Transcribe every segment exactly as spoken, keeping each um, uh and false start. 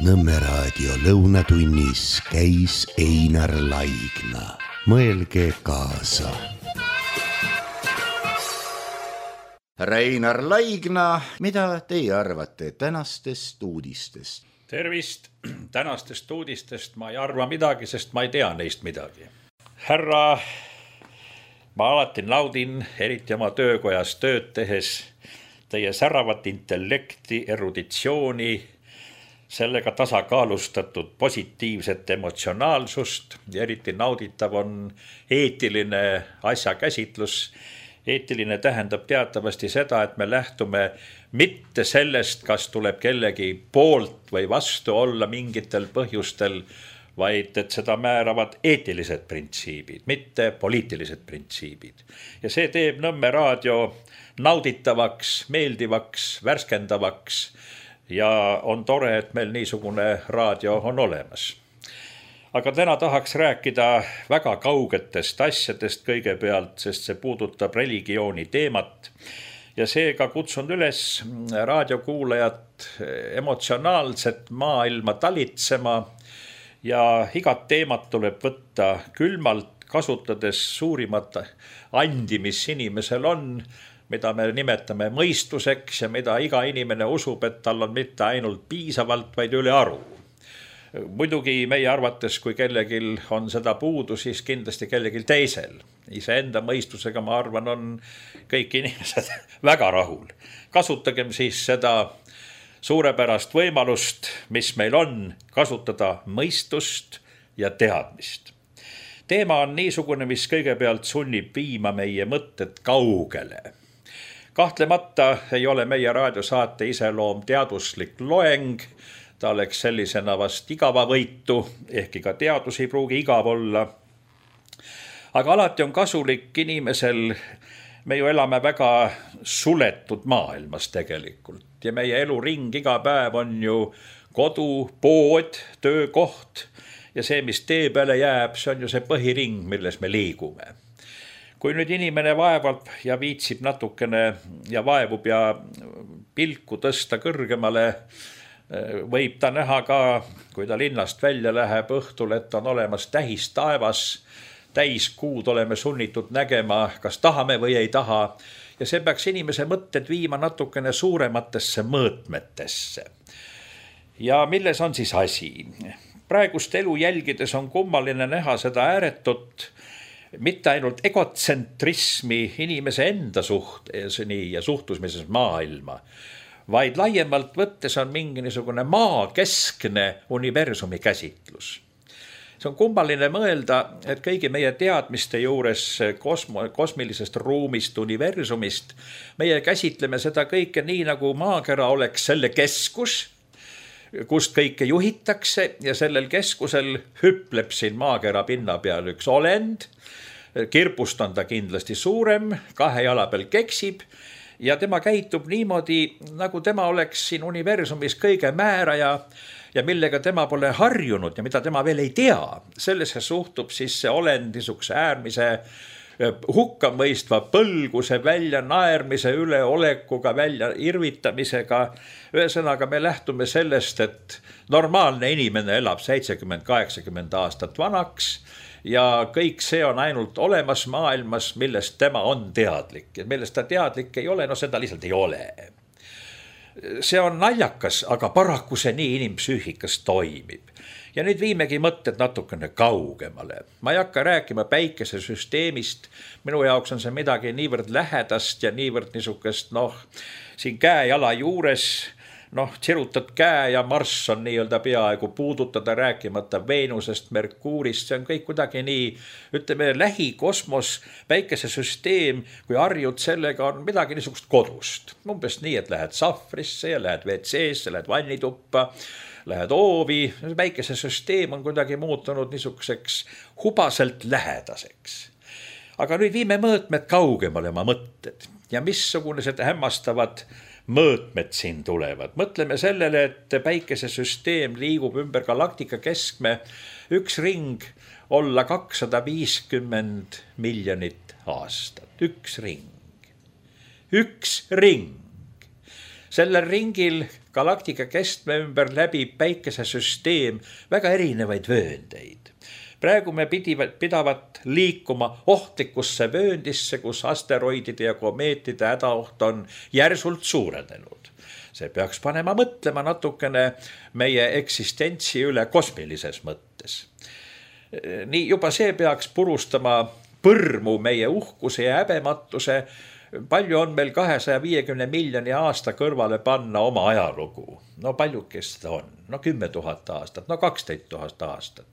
Nõmme raadio lõunatunnis käis Einar Laigna. Mõelge kaasa. Härra Einar Laigna, mida teie arvate tänastest uudistest? Tervist! Tänastest uudistest ma ei arva midagi, sest ma ei tea neist midagi. Härra, ma alati naudin, eriti oma töökojas tööd tehes, teie säravat intellekti, eruditsiooni, sellega tasakaalustatud positiivset emotsionaalsust ja eriti nauditav on eetiline asjakäsitlus. Eetiline tähendab teatavasti seda, et me lähtume mitte sellest, kas tuleb kellegi poolt või vastu olla mingitel põhjustel, vaid et seda määravad eetilised printsiibid, mitte poliitilised printsiibid. Ja see teeb Nõmme raadio nauditavaks, meeldivaks, värskendavaks ja on tore, et meil niisugune raadio on olemas. Aga täna tahaks rääkida väga kaugetest asjadest kõigepealt, sest see puudutab religiooni teemat. Ja seega kutsun üles raadiokuulajat emotsionaalset maailma talitsema ja igat teemat tuleb võtta külmalt, kasutades suurimat andi, mis inimesel on, mida me nimetame mõistuseks ja mida iga inimene usub, et tal on mitte ainult piisavalt, vaid üle aru. Muidugi meie arvates, kui kellegil on seda puudu, siis kindlasti kellegil teisel. Iseenda mõistusega, ma arvan, on kõik inimesed väga rahul. Kasutagem siis seda suurepärast võimalust, mis meil on, kasutada mõistust ja teadmist. Teema on niisugune, mis kõigepealt sunnib viima meie mõtted kaugele. Kahtlemata ei ole meie raadiosaate iseloom teaduslik loeng, ta oleks sellisena vast igava võitu, ehkki ka teadus ei pruugi igav olla. Aga alati on kasulik inimesel, me ju elame väga suletud maailmas tegelikult ja meie eluring iga päev on ju kodu, pood, töökoht ja see, mis tee peale jääb, see on ju see põhiring, milles me liigume. Kui nüüd inimene vaevab ja viitsib natukene ja vaevub ja pilku tõsta kõrgemale, võib ta näha ka, kui ta linnast välja läheb õhtul, et on olemas täis taevas, täis kuud oleme sunnitud nägema, kas tahame või ei taha. Ja see peaks inimese mõtted viima natukene suurematesse mõõtmetesse. Ja milles on siis asi? Praegust elu jälgides on kummaline näha seda ääretut, mitte ainult egotsentrismi inimese enda suhtes ja suhtusmises maailma, vaid laiemalt võttes on mingi niisugune maakeskne universumi käsitlus. See on kummaline mõelda, et kõigi meie teadmiste juures kosmo, kosmilisest ruumist, universumist, meie käsitleme seda kõike nii, nagu maakera oleks selle keskus, kust kõike juhitakse ja sellel keskusel hüpleb siin maakera pinna peal üks olend, kirpust on ta kindlasti suurem, kahe jala peal keksib, ja tema käitub niimoodi, nagu tema oleks siin universumis kõige määraja ja millega tema pole harjunud ja mida tema veel ei tea. Sellesse suhtub siis see olend niisuguse äärmise hukkamõistva põlguse välja naermise üle olekuga, välja irvitamisega. Ühesõnaga me lähtume sellest, et normaalne inimene elab seitsekümmend kaheksakümmend aastat vanaks ja kõik see on ainult olemas maailmas, millest tema on teadlik. Ja millest ta teadlik ei ole, no seda lihtsalt ei ole. See on naljakas, aga paraku see nii inimpsüühikas toimib. Ja nüüd viimegi mõtted natukene kaugemale. Ma ei hakka rääkima päikesesüsteemist. Minu jaoks on see midagi niivõrd lähedast ja niivõrd niisugust, noh, siin käe-jala juures, noh, tsirutad käe ja Marss on nii-öelda peaaegu puudutada, rääkimata Veenusest, Merkuurist, see on kõik kuidagi nii, ütleme, lähikosmos, päikesesüsteem, kui harjud sellega on midagi niisugust kodust. Umbes nii, et lähed sahvrisse ja lähed ve tseesse, lähed vannituppa, lähed oovi, päikesesüsteem on kuidagi muutunud niisuguseks hubaselt lähedaseks. Aga nüüd viime mõõtmed kaugemale oma mõtted ja missugused hämmastavad mõõtmed siin tulevad. Mõtleme sellele, et päikesesüsteem liigub ümber galaktika keskme üks ring olla kakssada viiskümmend miljonit aastat. Üks ring. Üks ring. Sellel ringil galaktika keskme ümber läbib päikesesüsteem väga erinevaid vööndeid. Praegu me pidavat liikuma ohtlikusse vööndisse, kus asteroidide ja komeetide hädaoht on järsult suurenenud. See peaks panema mõtlema natukene meie eksistentsi üle kosmilises mõttes. Nii juba see peaks purustama põrmu meie uhkuse ja häbematuse. Palju on meil kahesaja viiekümne miljoni aasta kõrvale panna oma ajalugu. No paljukest seda on? No kümme tuhat aastat, no kaksteist tuhat aastat.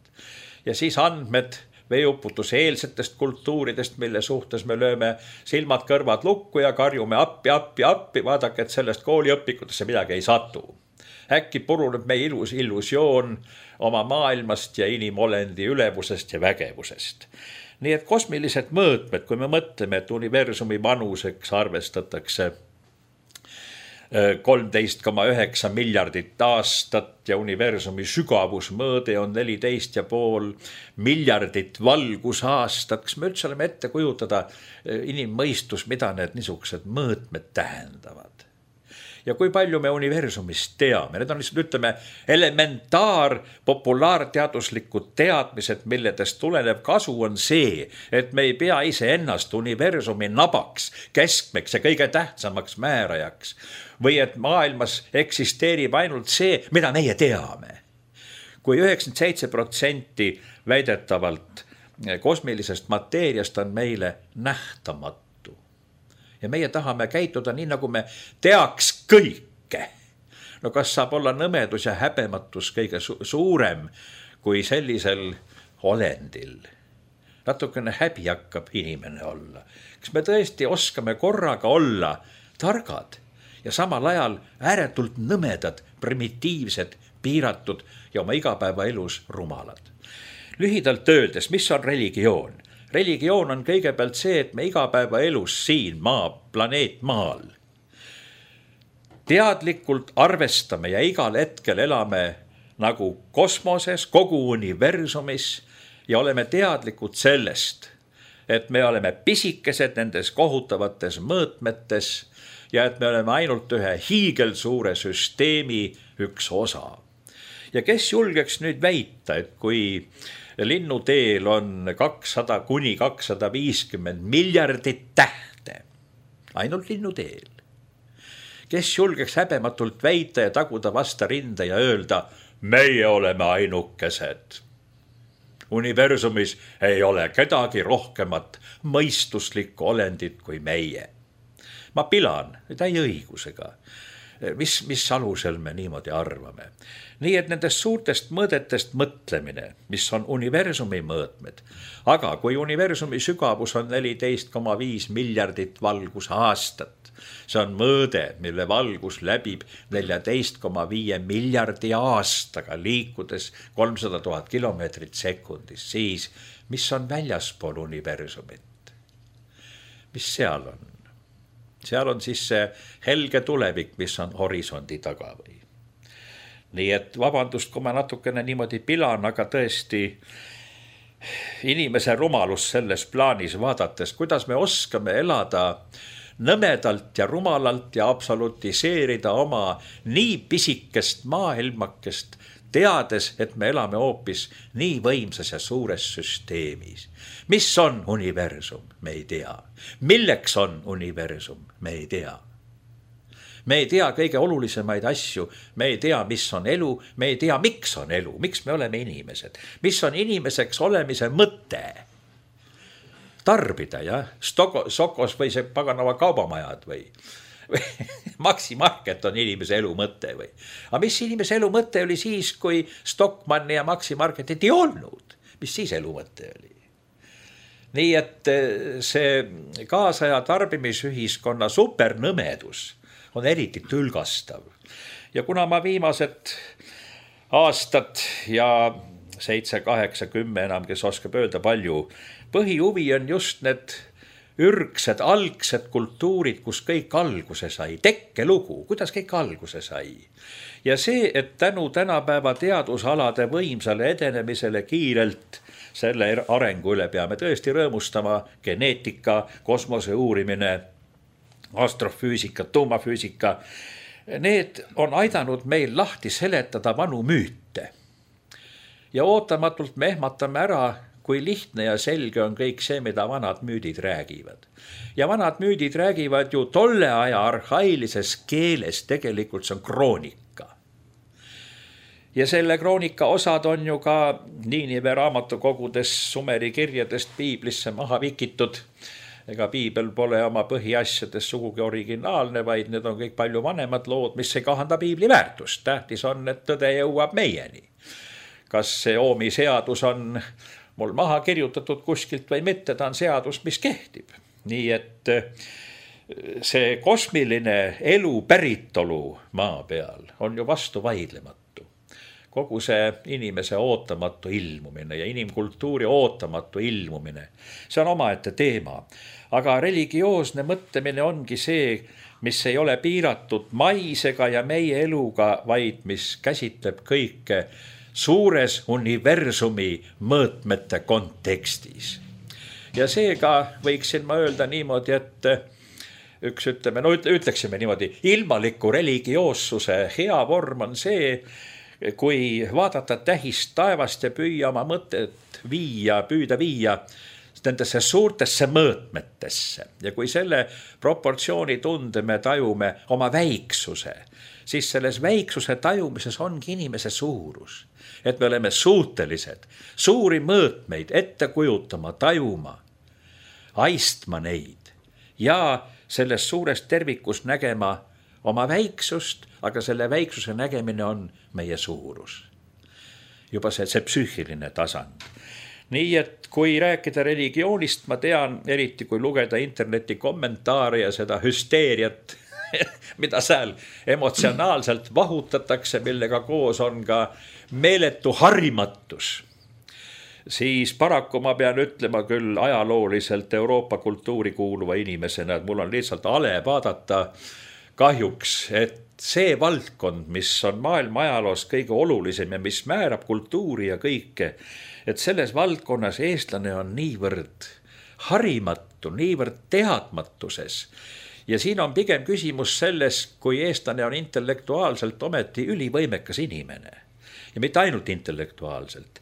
Ja siis andmed veeuputuse eelsetest kultuuridest, mille suhtes me lööme silmad kõrvad lukku ja karjume appi, appi, appi, vaadake, et sellest kooliõpikutesse midagi ei satu. Äkki puruneb meie ilus illusioon oma maailmast ja inimolendi ülevusest ja vägevusest. Nii et kosmilised mõõtmed, kui me mõtleme, et universumi vanuseks arvestatakse kolmteist koma üheksa miljardit aastat ja universumi sügavusmõõde on neliteist ja pool miljardit valgusaastat. Kas me üldse oleme ette kujutada inimmõistus, mida need niisugused mõõtmed tähendavad? Ja kui palju me universumist teame? Need on lihtsalt, ütleme, elementaar populaarteaduslikud teadmised, milledest tulenev kasu on see, et me ei pea ise ennast universumi nabaks, keskmeks ja kõige tähtsamaks määrajaks. Või et maailmas eksisteerib ainult see, mida meie teame. Kui üheksakümmend seitse protsenti väidetavalt kosmilisest mateeriast on meile nähtamatu. Ja meie tahame käituda nii, nagu me teaks kõike. No kas saab olla nõmedus ja häbematus kõige su- suurem kui sellisel olendil? Natukene häbi hakkab inimene olla. Kas me tõesti oskame korraga olla targad ja samal ajal ääretult nõmedad, primitiivsed, piiratud ja oma igapäevaelus rumalad? Lühidalt öeldes, mis on religioon? Religioon on kõigepealt see, et me igapäeva elus siin maa, planeet maal teadlikult arvestame ja igal hetkel elame nagu kosmoses, kogu universumis ja oleme teadlikud sellest, et me oleme pisikesed nendes kohutavates mõõtmetes ja et me oleme ainult ühe hiigelsuure süsteemi üks osa. Ja kes julgeks nüüd väita, et kui linnuteel on kakssada kuni kakssada viiskümmend miljardit tähte, ainult linnuteel. Kes julgeks häbematult väita ja taguda vasta rinda ja öelda, meie oleme ainukesed. Universumis ei ole kedagi rohkemat mõistuslikku olendit kui meie. Ma pilan täie õigusega. Mis, mis alusel me niimoodi arvame. Nii et nendest suurtest mõõdetest mõtlemine, mis on universumi mõõtmed, aga kui universumi sügavus on neliteist koma viis miljardit valgusaastat, see on mõõde, mille valgus läbib neliteist koma viis miljardi aastaga liikudes kolmsada tuhat kilomeetrit sekundis, siis mis on väljaspool universumit? Mis seal on? Seal on siis see helge tulevik, mis on horisondi taga või. Nii et vabandust, kui ma natukene niimoodi pilan, aga tõesti inimese rumalus selles plaanis vaadates, kuidas me oskame elada nõmedalt ja rumalalt ja absolutiseerida oma nii pisikest maailmakest, teades, et me elame hoopis nii võimsas ja suures süsteemis. Mis on universum? Me ei tea. Milleks on universum? Me ei tea. Me ei tea kõige olulisemaid asju, me ei tea, mis on elu, me ei tea, miks on elu, miks me oleme inimesed, mis on inimeseks olemise mõte. Tarbida, jah, Stoko, Sokos või see paganava kaubamajad või, või Maxi Market on inimese elu mõte või. Aga mis inimese elu mõte oli siis, kui Stockmanni ja Maxi Marketit ei olnud? Mis siis elu mõte oli? Nii et see kaasaja tarbimisühiskonna supernõmedus on eriti tülgastav. Ja kuna ma viimased aastad ja seitse, kaheksa, kümme enam, kes oskab öelda palju, põhihuvi on just need ürgsed, algsed kultuurid, kus kõik alguse sai, tekkelugu, kuidas kõik alguse sai. Ja see, et tänu tänapäeva teadusalade võimsale edenemisele kiirelt selle arengu üle peame tõesti rõõmustama, geneetika, kosmose uurimine, astrofüüsika, tuumafüüsika, need on aidanud meil lahti seletada vanu müüte. Ja ootamatult me ehmatame ära, kui lihtne ja selge on kõik see, mida vanad müüdid räägivad. Ja vanad müüdid räägivad ju tolle aja arhailises keeles, tegelikult see on kroonika. Ja selle kroonika osad on ju ka Niinive raamatukogudes Sumeri kirjadest piiblisse maha vikitud. Ega piibel pole oma põhiasjades sugugi originaalne, vaid need on kõik palju vanemad lood, mis ei kahanda piibli väärtust. Tähtis on, et tõde jõuab meieni. Kas see Oomi seadus on mul maha kirjutatud kuskilt või mitte, ta on seadus, mis kehtib. Nii et see kosmiline elu päritolu maa peal on ju vastu vaidlematu. Kogu see inimese ootamatu ilmumine ja inimkultuuri ootamatu ilmumine, see on omaette teema. Aga religioosne mõtlemine ongi see, mis ei ole piiratud maisega ja meie eluga, vaid mis käsitleb kõike suures universumi mõõtmete kontekstis. Ja seega võiksin ma öelda niimoodi, et üks ütleme, no ütleksime niimoodi, ilmaliku religioossuse hea vorm on see, kui vaadata tähist taevast ja püüa oma mõtet viia, püüda viia nendesse suurtesse mõõtmetesse. Ja kui selle proportsiooni tunde me tajume oma väiksuse, siis selles väiksuse tajumises ongi inimese suurus. Et me oleme suutelised suuri mõõtmeid ette kujutama, tajuma, aistma neid ja selles suures tervikus nägema oma väiksust, aga selle väiksuse nägemine on meie suurus. Juba see, see psüühiline tasand. Nii et kui rääkida religioonist, ma tean, eriti kui lugeda interneti kommentaare ja seda hüsteeriat, mida seal emotsionaalselt vahutatakse, millega koos on ka meeletu harimatus, siis paraku ma pean ütlema küll ajalooliselt Euroopa kultuuri kuuluva inimesena, et mul on lihtsalt ale vaadata kahjuks, et see valdkond, mis on maailma ajaloos kõige olulisem ja mis määrab kultuuri ja kõike, et selles valdkonnas eestlane on niivõrd harimatu, niivõrd teadmatuses. Ja siin on pigem küsimus selles, kui eestlane on intellektuaalselt ometi ülivõimekas inimene. Ja mitte ainult intellektuaalselt.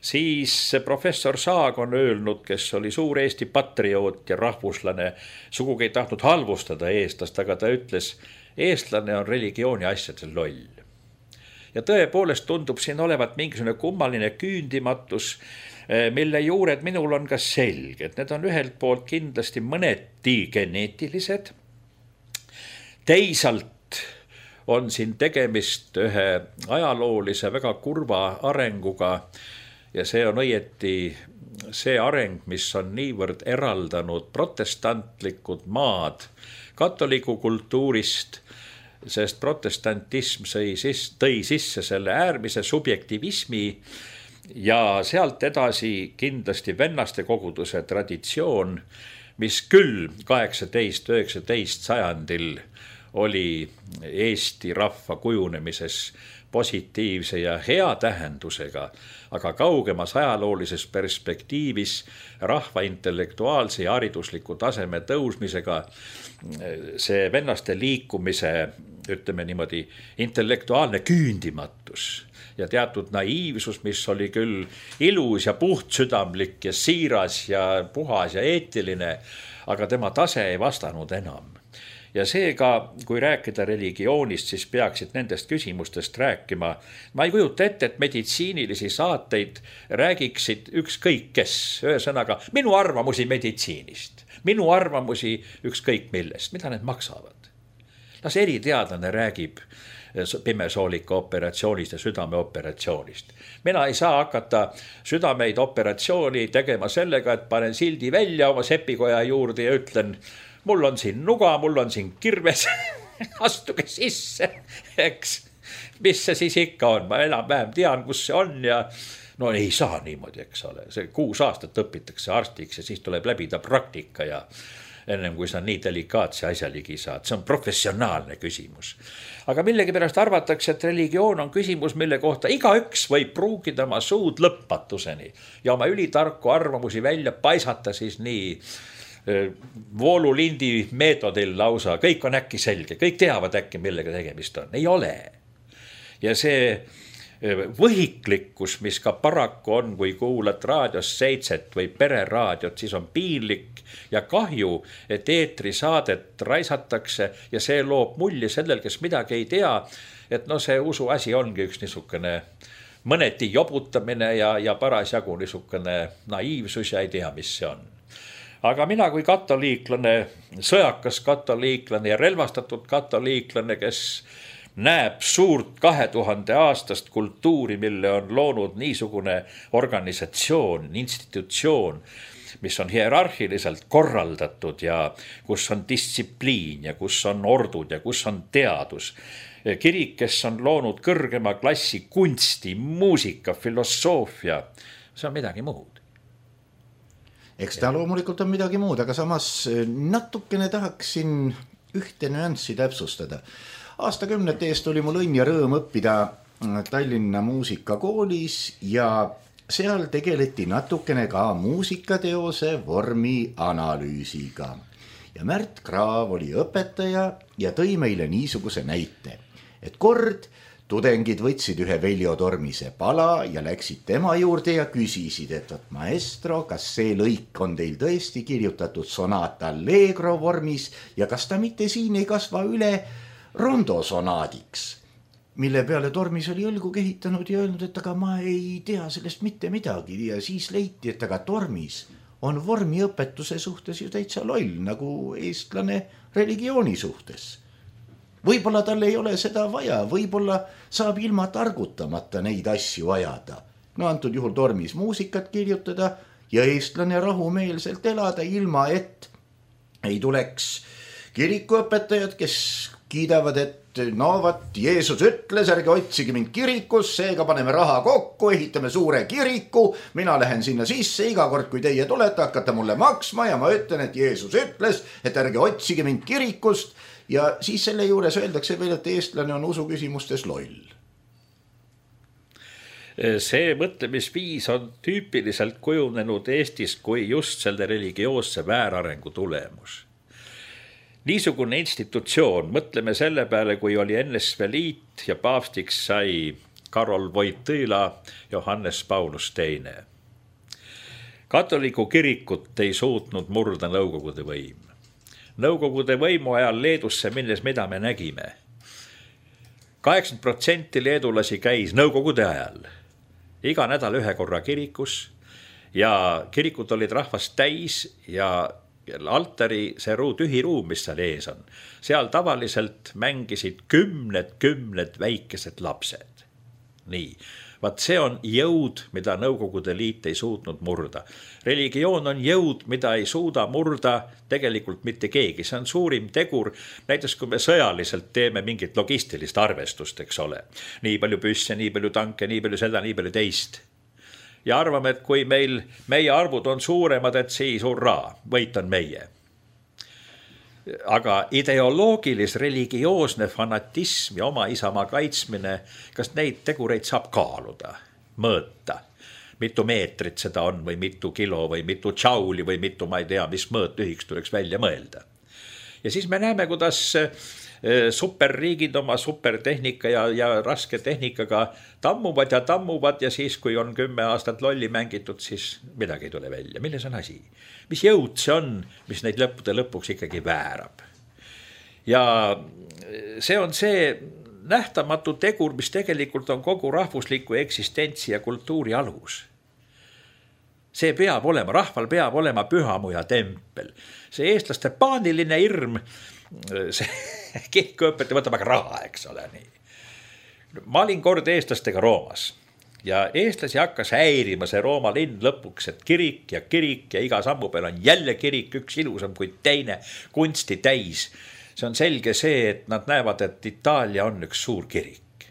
Siis professor Saag on öelnud, kes oli suur Eesti patrioot ja rahvuslane, sugugi ei tahtnud halvustada eestlast, aga ta ütles, eestlane on religiooni asjadel loll. Ja tõepoolest tundub siin olevat mingisugune kummaline küündimatus, mille juured minul on ka selge. Need on ühelt poolt kindlasti mõneti geneetilised. Teisalt on siin tegemist ühe ajaloolise väga kurva arenguga ja see on õieti see areng, mis on niivõrd eraldanud protestantlikud maad katoliku kultuurist, sest protestantism tõi sisse selle äärmise subjektivismi ja sealt edasi kindlasti vennaste koguduse traditsioon, mis küll kaheksateist üheksateist sajandil oli Eesti rahva kujunemises positiivse ja hea tähendusega, aga kaugemas ajaloolises perspektiivis rahva intellektuaalse ja haridusliku taseme tõusmisega see vennaste liikumise, ütleme niimoodi, intellektuaalne küündimatus ja teatud naiivsus, mis oli küll ilus ja puhtsüdamlik ja siiras ja puhas ja eetiline, aga tema tase ei vastanud enam. Ja seega, kui rääkida religioonist, siis peaksid nendest küsimustest rääkima. Ma ei kujuta ette, et meditsiinilisi saateid räägiksid ükskõik kes. Ühesõnaga, minu arvamusi meditsiinist, minu arvamusi ükskõik millest, mida need maksavad. Las eriteadlane räägib pimesoolika operatsioonist ja südameoperatsioonist. Mina ei saa hakata südameid operatsiooni tegema sellega, et panen sildi välja oma sepikoja juurde ja ütlen, mul on siin nuga, mul on siin kirves, astuge sisse, eks. Mis see siis ikka on? Ma enam-vähem tean, kus see on ja no ei saa niimoodi, eks ole. See kuus aastat õpitakse arstiks ja siis tuleb läbida praktika ja ennem kui sa nii delikaatse asja ligi saad. See on professionaalne küsimus. Aga millegi pärast arvatakse, et religioon on küsimus, mille kohta igaüks võib pruugida oma suud lõpmatuseni ja oma ülitarku arvamusi välja paisata siis nii voolulindi meetodil lausa, kõik on äkki selge, kõik teavad äkki, millega tegemist on, ei ole. Ja see võhiklikkus, mis ka paraku on, kui kuulad raadios seitset või pereraadiot, siis on piinlik ja kahju, et eetrisaadet raisatakse ja see loob mulje sellel, kes midagi ei tea, et no see usu asi ongi üks niisugune mõneti jobutamine ja, ja parasjagu niisugune naiivsus ja ei tea, mis see on. Aga mina kui katoliiklane, sõjakas katoliiklane ja relvastatud katoliiklane, kes näeb suurt kahe tuhande aastast kultuuri, mille on loonud niisugune organisatsioon, institutsioon, mis on hierarhiliselt korraldatud ja kus on distsipliin ja kus on ordud ja kus on teadus. Kirik, kes on loonud kõrgema klassi kunsti, muusika, filosoofia, see on midagi muud. Eks ta loomulikult on midagi muud, aga samas natukene tahaksin ühte nüanssi täpsustada. Aastakümnete eest oli mul õnn ja rõõm õppida Tallinna muusikakoolis ja seal tegeleti natukene ka muusikateose vormi analüüsiga. Ja Märt Kraav oli õpetaja ja tõi meile niisuguse näite, et kord tudengid võtsid ühe Veljo Tormise pala ja läksid tema juurde ja küsisid, et võt maestro, kas see lõik on teil tõesti kirjutatud sonata allegro vormis ja kas ta mitte siin ei kasva üle rondo sonaadiks, mille peale Tormis oli õlgu kehitanud ja öelnud, et aga ma ei tea sellest mitte midagi ja siis leiti, et aga Tormis on vormiõpetuse suhtes ju täitsa loll, nagu eestlane religiooni suhtes. Võib-olla tal ei ole seda vaja, võib-olla saab ilma targutamata neid asju ajada. No antud juhul Tormis muusikat kirjutada ja eestlane rahumeelselt elada ilma, et ei tuleks kirikuõpetajad, kes kiidavad, et no vat, Jeesus ütles, ärge otsige mind kirikus, seega paneme raha kokku, ehitame suure kiriku, mina lähen sinna sisse, iga kord, kui teie tulete, hakkate mulle maksma ja ma ütlen, et Jeesus ütles, et ärge otsige mind kirikust ja siis selle juures öeldakse veel, et eestlane on usu küsimustes loll. See mõtlemisviis on tüüpiliselt kujunenud Eestis kui just selle religioosse väärarengu tulemus. Niisugune institutsioon, mõtleme selle peale, kui oli N S V Liit ja paavstiks sai Karol Wojtyla Johannes Paulus teine. Katoliku kirikut ei suutnud murda Nõukogude võim. Nõukogude võimu ajal Leedusse minnes, mida me nägime. kaheksakümmend protsenti leedulasi käis Nõukogude ajal iga nädal ühe korra kirikus ja kirikud olid rahvast täis ja altari, see ruu, tühi ruum, mis seal ees on, seal tavaliselt mängisid kümned, kümned väikesed lapsed. Nii, vaat see on jõud, mida Nõukogude Liit ei suutnud murda. Religioon on jõud, mida ei suuda murda tegelikult mitte keegi. See on suurim tegur, näiteks kui me sõjaliselt teeme mingit logistilist arvestust, eks ole. Nii palju püsse, nii palju tanke, nii palju seda, nii palju teist. Ja arvame, et kui meil, meie arvud on suuremad, et siis hurraa, võit on meie. Aga ideoloogilis, religioosne fanatism ja oma isamaa kaitsmine, kas neid tegureid saab kaaluda, mõõta? Mitu meetrit seda on või mitu kilo või mitu tšauli või mitu, ma ei tea, mis mõõt ühiks tuleks välja mõelda. Ja siis me näeme, kuidas superriigid oma supertehnika ja, ja raske tehnikaga tammuvad ja tammuvad ja siis, kui on kümme aastat lolli mängitud, siis midagi ei tule välja. Milles on asi? Mis jõud see on, mis neid lõppude lõpuks ikkagi väärab? Ja see on see nähtamatu tegur, mis tegelikult on kogu rahvusliku eksistentsi ja kultuuri alus. See peab olema, rahval peab olema pühamuja tempel. See eestlaste paaniline irm, see kirikuõpetaja võtab aga raha, eks ole nii. Ma olin kord eestlastega Roomas ja eestlasi hakkas häirima see Rooma linn lõpuks, et kirik ja kirik ja iga sammu peal on jälle kirik, üks ilusam kui teine, kunsti täis. See on selge see, et nad näevad, et Itaalia on üks suur kirik.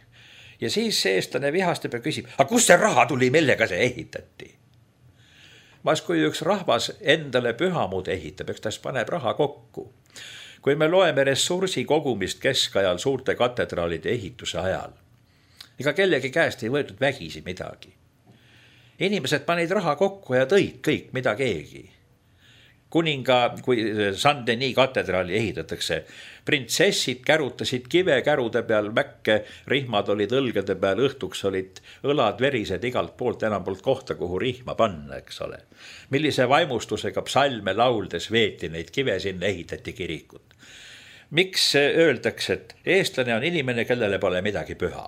Ja siis see eestlane vihastab ja küsib, aga kust see raha tuli, millega see ehitati? Mas kui üks rahvas endale pühamud ehitab, eks ta paneb raha kokku. Kui me loeme ressursi kogumist keskajal suurte katedraalide ehituse ajal, ega kellegi käest ei võetud vägisi midagi. Inimesed panid raha kokku ja tõid kõik, mida keegi. kuninga, kui Saint-Denis katedraali ehitatakse, printsessid kärutasid kivekärude peal mäkke, rihmad olid õlgade peal, õhtuks olid õlad verised igalt poolt, enam poolt kohta, kuhu rihma panna, eks ole. Millise vaimustusega psalme lauldes veeti neid kive, sinna ehitati kirikut. Miks öeldakse, et eestlane on inimene, kellele pole midagi püha?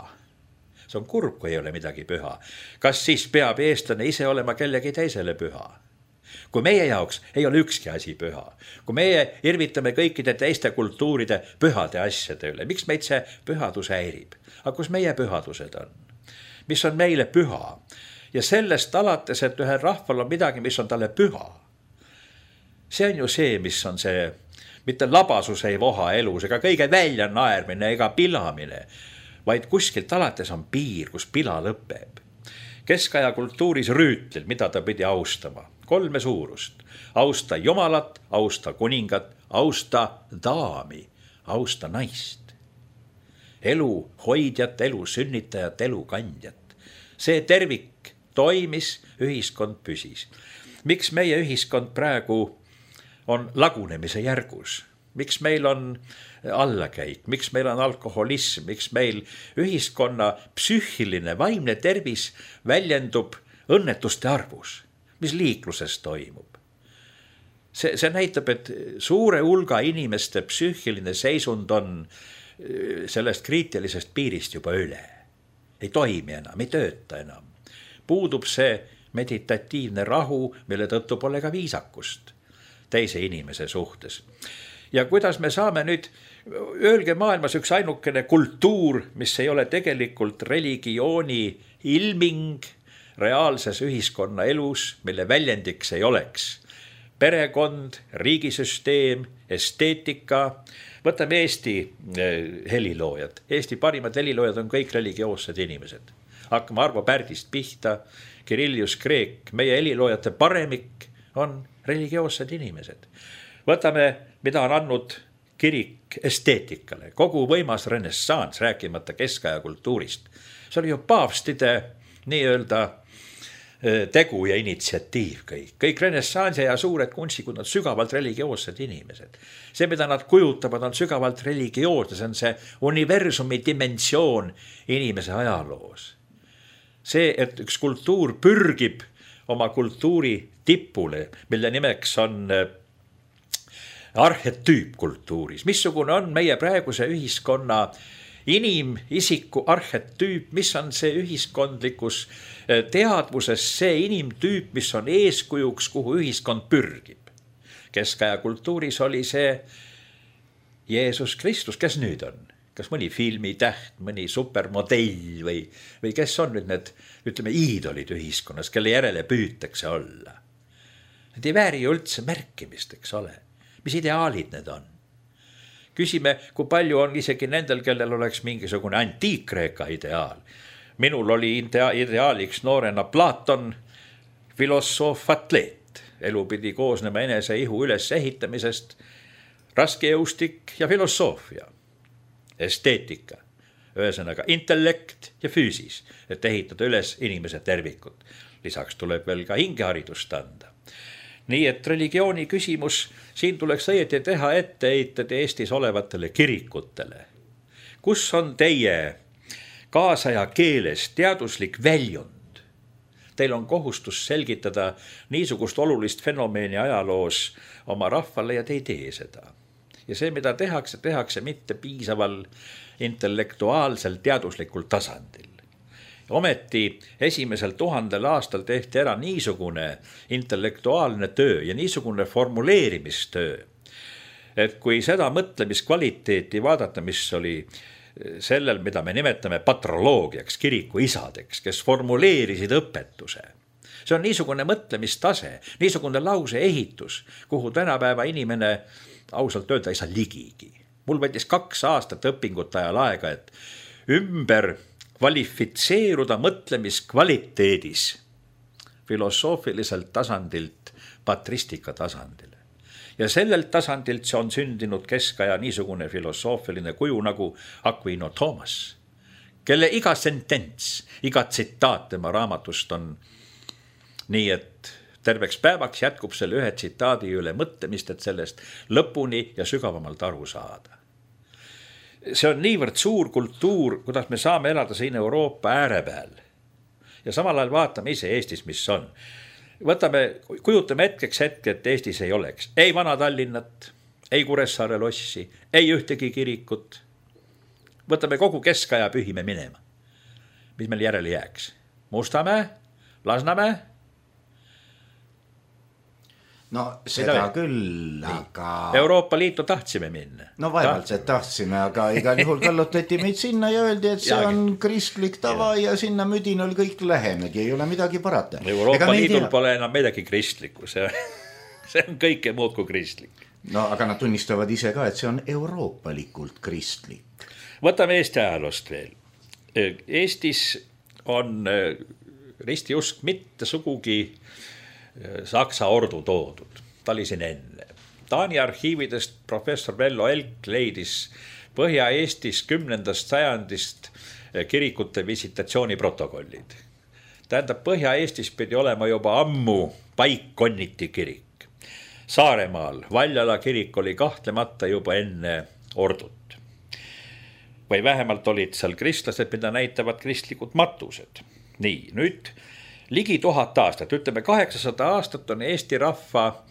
See on kurb, kui ei ole midagi püha. Kas siis peab eestlane ise olema kellegi teisele püha? Kui meie jaoks ei ole ükski asi püha, kui meie irvitame kõikide teiste kultuuride pühade asjade üle, miks meid see pühadus häirib? Aga kus meie pühadused on? Mis on meile püha? Ja sellest alates, et ühel rahval on midagi, mis on talle püha. See on ju see, mis on see, mitte labasus ei voha elus, ega kõige välja naermine ega pilamine, vaid kuskilt alates on piir, kus pila lõpeb. Keskaja kultuuris rüütlil, mida ta pidi austama. Kolme suurust. Austa jumalat, austa kuningat, austa daami, austa naist. Elu hoidjat, elu sünnitajat, elu kandjat. See tervik toimis, ühiskond püsis. Miks meie ühiskond praegu on lagunemise järgus? Miks meil on allakäik, miks meil on alkoholism, miks meil ühiskonna psüühiline, vaimne tervis väljendub õnnetuste arvus? Mis liikluses toimub? See, see näitab, et suure hulga inimeste psüühiline seisund on sellest kriitilisest piirist juba üle. Ei toimi enam, ei tööta enam. Puudub see meditatiivne rahu, mille tõttu pole ka viisakust teise inimese suhtes. Ja kuidas me saame nüüd, öelge maailmas üks ainukene kultuur, mis ei ole tegelikult religiooni ilming reaalses ühiskonna elus, mille väljendiks ei oleks perekond, riigisüsteem, esteetika. Võtame Eesti heliloojad. Eesti parimad heliloojad on kõik religioossed inimesed. Hakkame Arvo Pärdist pihta, Kirillus Kreek, meie heliloojate paremik on religioossed inimesed. Võtame, mida on andnud kirik esteetikale, kogu võimas renessans, rääkimata keskaja kultuurist. See oli ju paavstide nii-öelda tegu ja initsiatiiv kõik. Kõik renessansi ja suured kunstikud on sügavalt religioossed inimesed. See, mida nad kujutavad, on sügavalt religioosne, see on see universumi dimensioon inimese ajaloos. See, et üks kultuur pürgib oma kultuuri tippule, mille nimeks on arhetüüp kultuuris. Missugune on meie praeguse ühiskonna inimisiku arhetüüp, mis on see ühiskondlikus teadvuses, see inimtüüp, mis on eeskujuks, kuhu ühiskond pürgib. Keskaja kultuuris oli see Jeesus Kristus, kes nüüd on? Kas mõni filmitäht, mõni supermodell või, või kes on nüüd need, ütleme, iidolid ühiskonnas, kelle järele püütakse olla? Need ei vääri ju üldse märkimist, eks ole. Mis ideaalid need on? Küsime, kui palju on isegi nendel, kellel oleks mingisugune antiik-Kreeka ideaal. Minul oli ideaaliks noorena Platon, filosoof, atleet. Elu pidi koosnema enese ihu üles ehitamisest, raskejõustik ja filosoofia, esteetika, ühesõnaga intellekt ja füüsis, et ehitada üles inimese tervikut. Lisaks tuleb veel ka hingeharidust anda. Nii et religiooni küsimus, siin tuleks õieti teha etteheited Eestis olevatele kirikutele. Kus on teie kaasaja keeles teaduslik väljund? Teil on kohustus selgitada niisugust olulist fenomeeni ajaloos oma rahvale ja te ei tee seda. Ja see, mida tehakse, tehakse mitte piisaval intellektuaalsel teaduslikul tasandil. Ometi esimesel tuhandel aastal tehti ära niisugune intellektuaalne töö ja niisugune formuleerimistöö, et kui seda mõtlemiskvaliteeti vaadata, mis oli sellel, mida me nimetame patroloogiaks, kiriku isadeks, kes formuleerisid õpetuse. See on niisugune mõtlemistase, niisugune lause ehitus, kuhu tänapäeva inimene ausalt öelda ei saa ligigi. Mul võttis kaks aastat õpingut ajal aega, et ümber kvalifitseeruda mõtlemiskvaliteedis filosoofiliselt tasandilt patristika tasandile. Ja sellelt tasandilt see on sündinud keskaja niisugune filosoofiline kuju nagu Aquino Thomas, kelle iga sentents, iga tsitaat tema raamatust on nii, et terveks päevaks jätkub selle ühe tsitaadi üle mõtlemist, et sellest lõpuni ja sügavamalt aru saada. See on niivõrd suur kultuur, kuidas me saame elada siin Euroopa ääre peal. Ja samal ajal vaatame ise Eestis, mis on. Võtame, kujutame hetkeks hetke, et Eestis ei oleks. Ei vana Tallinnat, ei Kuressaare lossi, ei ühtegi kirikut. Võtame kogu keskaja pühime minema. Mis meil järele jääks? Mustamäe? Lasnamäe? No seda küll, aga... Euroopa Liitu tahtsime minna. No vaevalt see tahtsime, aga igal juhul kallutati meid sinna ja öeldi, et see on kristlik tava ja, ja sinna müdinal kõik lähemegi, ei ole midagi parata. Euroopa Liidul tea... pole enam midagi kristlikku, see, see on kõike muud kui kristlik. No aga nad tunnistavad ise ka, et see on euroopalikult kristlik. Võtame Eesti ajaloost veel. Eestis on ristiusk mitte sugugi Saksa ordu toodud, ta oli siin enne. Taani arhiividest professor Vello Elk leidis Põhja-Eestis kümnendast sajandist kirikute visitatsiooni protokollid. Tähendab, Põhja-Eestis pidi olema juba ammu paikkonniti kirik. Saaremaal Valjala kirik oli kahtlemata juba enne ordut. Või vähemalt olid seal kristlased, mida näitavad kristlikud matused. Nii, nüüd... Ligi tuhat aastat, ütleme kaheksasada aastat on Eesti rahva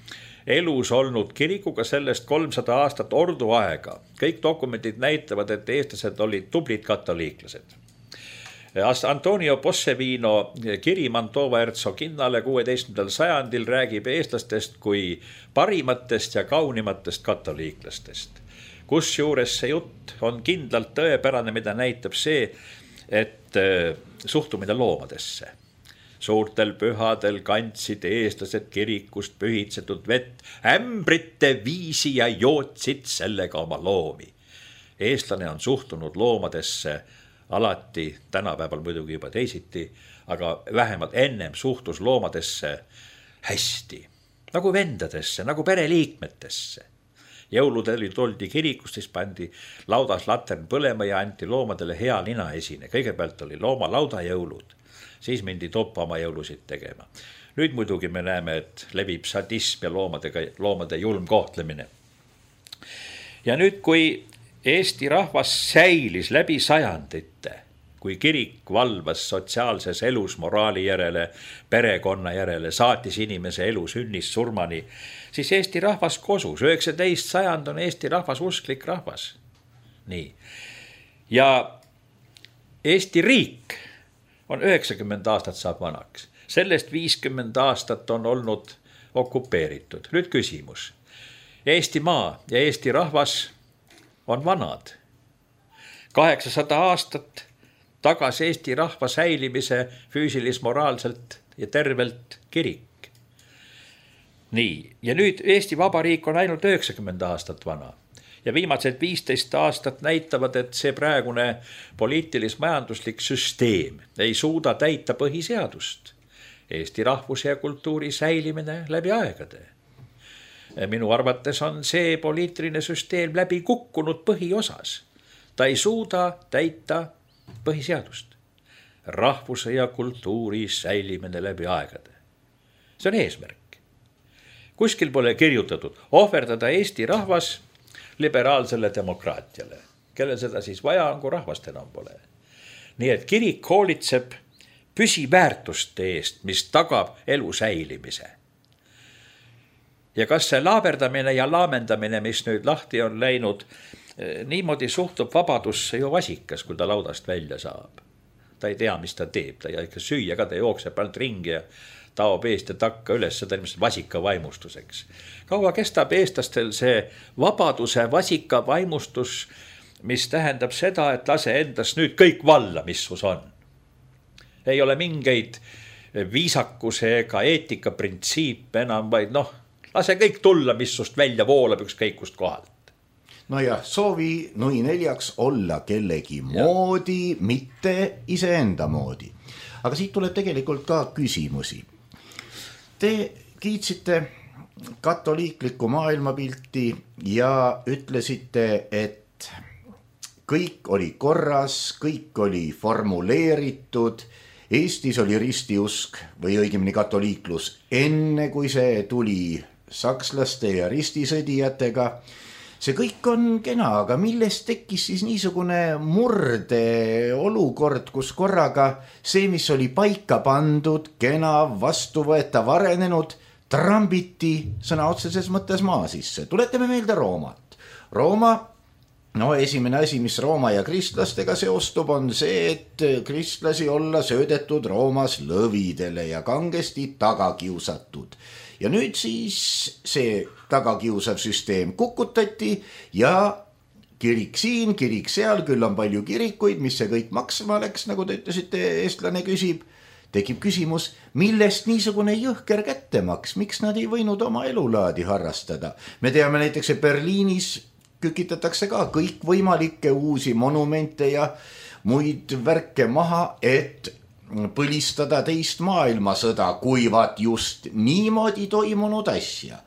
elus olnud kirikuga, sellest kolmsada aastat ordu aega. Kõik dokumendid näitavad, et eestlased olid tublid katoliiklased. Antonio Possevino kiri Mantova Herzoginnale kuueteistkümnendal sajandil räägib eestlastest kui parimatest ja kaunimatest katoliiklastest. Kusjuures see jutt on kindlalt tõepärane, mida näitab see, et suhtumine loomadesse. Suurtel pühadel kandsid eestlased kirikust pühitsetud vett ämbrite viisi ja jootsid sellega oma loomi. Eestlane on suhtunud loomadesse alati, tänapäeval muidugi juba teisiti, aga vähemalt ennem suhtus loomadesse hästi. Nagu vendadesse, nagu pereliikmetesse. Jõuludel toldi kirikust, siis pandi laudas latern põlema ja anti loomadele hea lina esine. Kõigepealt oli looma laudajõulud. Siis mindi toppa oma jõulusid tegema. Nüüd muidugi me näeme, et levib sadism ja loomadega, loomade julm kohtlemine. Ja nüüd, kui Eesti rahvas säilis läbi sajandite, kui kirik valvas sotsiaalses elus moraali järele, perekonna järele, saatis inimese elu sünnist surmani, siis Eesti rahvas kosus. üheksateist sajand on Eesti rahvas usklik rahvas. Nii. Ja Eesti riik on üheksakümmend aastat saab vanaks. Sellest viiskümmend aastat on olnud okupeeritud. Nüüd küsimus. Eesti maa ja Eesti rahvas on vanad. kaheksasada aastat tagas Eesti rahva säilimise füüsilis-moraalselt ja tervelt kirik. Nii, ja nüüd Eesti Vabariik on ainult üheksakümmend aastat vana. Ja viimased viisteist aastat näitavad, et see praegune poliitilis-majanduslik süsteem ei suuda täita põhiseadust. Eesti rahvuse ja kultuuri säilimine läbi aegade. Minu arvates on see poliitiline süsteem läbi kukkunud põhiosas. Ta ei suuda täita põhiseadust. Rahvuse ja kultuuri säilimine läbi aegade. See on eesmärk. Kuskil pole kirjutatud ohverdada Eesti rahvas liberaalsele demokraatiale, kellel seda siis vaja on, kui rahvast enam pole. Nii et kirik hoolitseb püsiväärtuste eest, mis tagab elu säilimise. Ja kas see laaberdamine ja laamendamine, mis nüüd lahti on läinud, niimoodi suhtub vabadusse ju vasikas, kui ta laudast välja saab. Ta ei tea, mis ta teeb, ta ikka süüa ka, ta jookseb ainult ringi ja taob eest ja takka üles, seda ilmselt vasika vaimustuseks. Kaua kestab eestlastel see vabaduse vasika vaimustus, mis tähendab seda, et lase endast nüüd kõik valla, mis sus on. Ei ole mingeid viisakuse ega eetika printsiip enam, vaid noh, lase kõik tulla, mis sust välja voolab ükskõik kust kohalt. No ja soovi nui neljaks olla kellegi moodi, mitte iseenda moodi. Aga siit tuleb tegelikult ka küsimusi. Te kiitsite katoliiklikku maailmapilti ja ütlesite, et kõik oli korras, kõik oli formuleeritud Eestis oli ristiusk või õigemini katoliiklus enne, kui see tuli sakslaste ja ristisõdijatega. See kõik on kena, aga millest tekkis siis niisugune murde olukord, kus korraga see, mis oli paika pandud, kena, vastuvõetav, arenenud, trambiti sõna otseses mõttes maa sisse. Tuletame meelde Roomat. Rooma, no esimene asi, mis Rooma ja kristlastega seostub, on see, et kristlasi olla söödetud Roomas lõvidele ja kangesti tagakiusatud. Ja nüüd siis see tagakiusav süsteem kukutati ja kirik siin, kirik seal, küll on palju kirikuid, mis see kõik maksma läks, nagu te ütlesite, eestlane küsib. Tekib küsimus, millest niisugune jõhker kättemaks, miks nad ei võinud oma elulaadi harrastada. Me teame näiteks, et Berliinis kükitatakse ka kõik võimalikke uusi monumente ja muid värke maha, et põlistada teist maailmasõda, kuivat just niimoodi toimunud asja.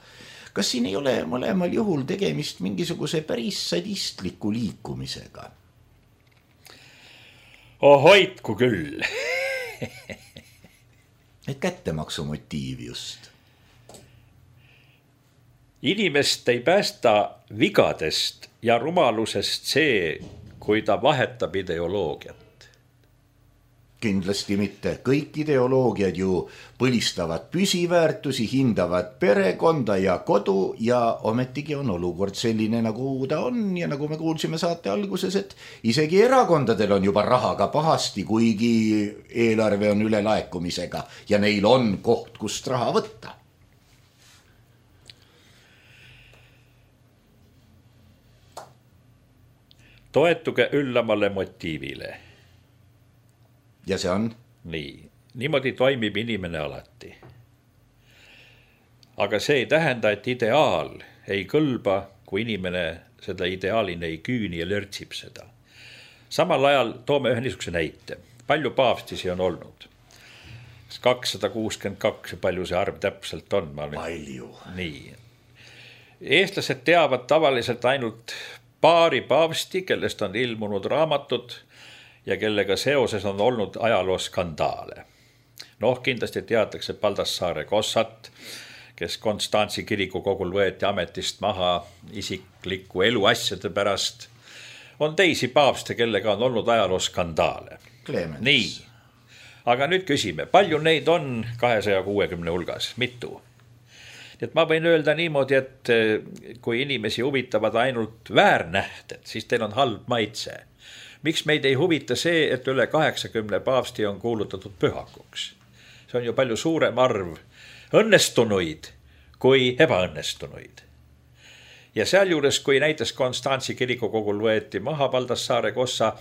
Kas siin ei ole mõlemal juhul tegemist mingisuguse päris sadistliku liikumisega? Oh, hoidku küll. Et kättemaksu motiiv just. Inimest ei päästa vigadest ja rumalusest see, kui ta vahetab ideoloogiat. Kindlasti mitte. Kõik ideoloogiad ju põlistavad püsiväärtusi, hindavad perekonda ja kodu ja ometigi on olukord selline, nagu ta on. Ja nagu me kuulsime saate alguses, et isegi erakondadel on juba rahaga pahasti, kuigi eelarve on ülelaekumisega ja neil on koht, kust raha võtta. Toetuge üllamale motiivile. Ja see on? Nii, niimoodi toimib inimene alati. Aga see ei tähenda, et ideaal ei kõlba, kui inimene seda ideaalini ei küüni ja lörtsib seda. Samal ajal toome ühe niisuguse näite. Palju paavstisi on olnud? kakssada kuuskümmend kaks, palju see arv täpselt on? Palju. Nii. Eestlased teavad tavaliselt ainult paari paavsti, kellest on ilmunud raamatud ja kellega seoses on olnud ajalooskandaale. Noh, kindlasti teatakse Baldassare Kossat, kes Konstantsi kirikukogul võeti ametist maha isikliku eluasjade pärast. On teisi paavste, kellega on olnud ajalooskandaale. Clemens. Nii, aga nüüd küsime, palju neid on kahesaja kuuekümne hulgas? Mitu? Et ma võin öelda niimoodi, et kui inimesi huvitavad ainult väärnähted, siis teil on halb maitse. Miks meid ei huvita see, et üle kaheksakümne paavsti on kuulutatud pühakuks? See on ju palju suurem arv õnnestunuid kui ebaõnnestunuid. Ja sealjuures, kui näiteks Konstantsi kirikukogul võeti maha Baldassare Kossa,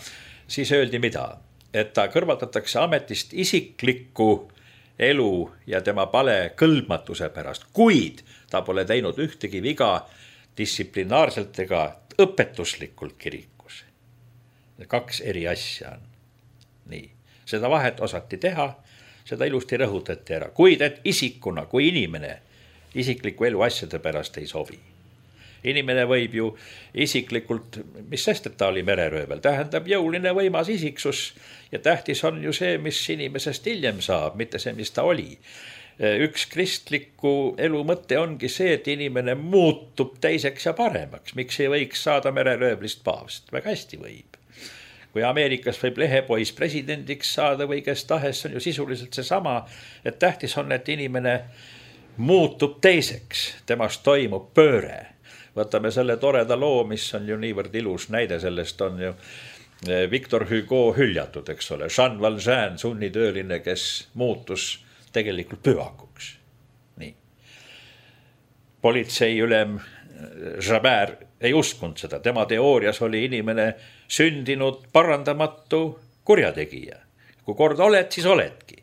siis öeldi mida? Et ta kõrvaldatakse ametist isiklikku elu ja tema pale kõlbmatuse pärast, kuid ta pole teinud ühtegi viga distsiplinaarselt ega õpetuslikult kirikus. Kaks eri asja on. Nii, seda vahet osati teha, seda ilusti rõhutati ära, kuid et isikuna, kui inimene isikliku elu asjade pärast ei sobi. Inimene võib ju isiklikult, mis sest, et ta oli mereröövel, tähendab jõuline võimas isiksus ja tähtis on ju see, mis inimesest hiljem saab, mitte see, mis ta oli. Üks kristliku elu mõte ongi see, et inimene muutub teiseks ja paremaks. Miks ei võiks saada mereröövlist paavst? Väga hästi võib. Kui Ameerikas võib lehepois presidendiks saada või kes tahes, on ju sisuliselt see sama, et tähtis on, et inimene muutub teiseks, temast toimub pööre. Võtame selle toreda loo, mis on ju niivõrd ilus näide, sellest on ju Victor Hugo hüljatud, eks ole. Jean Valjean, sunnitööline, kes muutus tegelikult pühakuks. Nii. Politseiülem Javert ei uskunud seda. Tema teoorias oli inimene sündinud parandamatu kurjategija. Kui kord oled, siis oledki.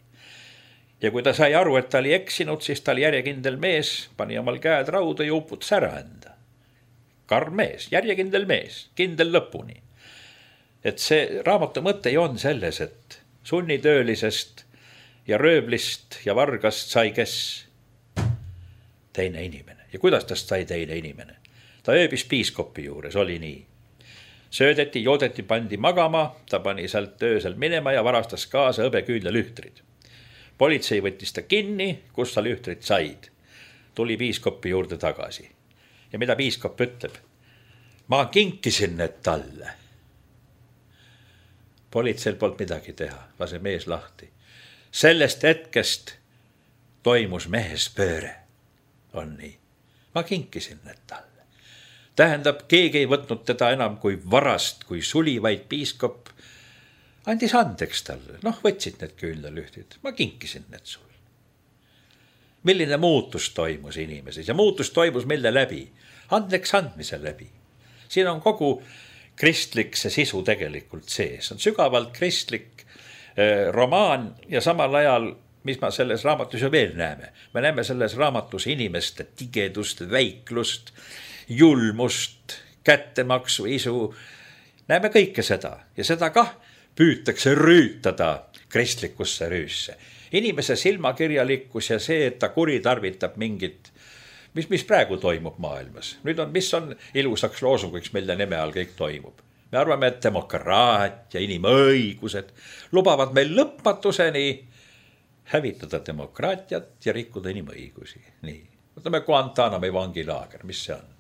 Ja kui ta sai aru, et ta oli eksinud, siis ta oli järjekindel mees, pani omal käed rauda ja uputas ära enda. Karm mees, järjekindel mees, kindel lõpuni. Et see raamatu mõte on selles, et sunnitöölisest ja rööblist ja vargast sai kes? Teine inimene. Ja kuidas tast sai teine inimene? Ta ööbis piiskopi juures, oli nii. söödeti, joodeti, pandi magama, ta pani sealt öösel minema ja varastas kaasa hõbeküünlalühtrid. Politsei võttis ta kinni, kus ta lühtrid said. Tuli piiskopi juurde tagasi. Ja mida piiskop ütleb? Ma kinkisin need talle. Politseil polnud midagi teha, lase mees lahti. Sellest hetkest toimus mehes pööre. On nii. Ma kinkisin need talle. Tähendab, keegi ei võtnud teda enam kui varast, kui suli, vaid piiskop andis andeks talle. Noh, võtsid need küünlalühtid. Ma kinkisin need sul. Milline muutus toimus inimeses ja muutus toimus mille läbi? Andeks andmise läbi. Siin on kogu kristlik see sisu tegelikult sees. On sügavalt kristlik eh, romaan ja samal ajal, mis ma selles raamatus ju veel näeme. Me näeme selles raamatus inimeste tigedust, väiklust, julmust, kättemaksu, isu. Näeme kõike seda ja seda kah püütakse rüütada kristlikusse rüüsse. Inimese silmakirjalikkus ja see, et ta kuritarvitab mingit, mis, mis praegu toimub maailmas. Nüüd on, mis on ilusaks loosungiks, mille nime all kõik toimub. Me arvame, et demokraatia, inimõigused lubavad meil lõpmatuseni hävitada demokraatiat ja rikkuda inimõigusi. Nii. Võtame Guantanamo vangilaager, mis see on?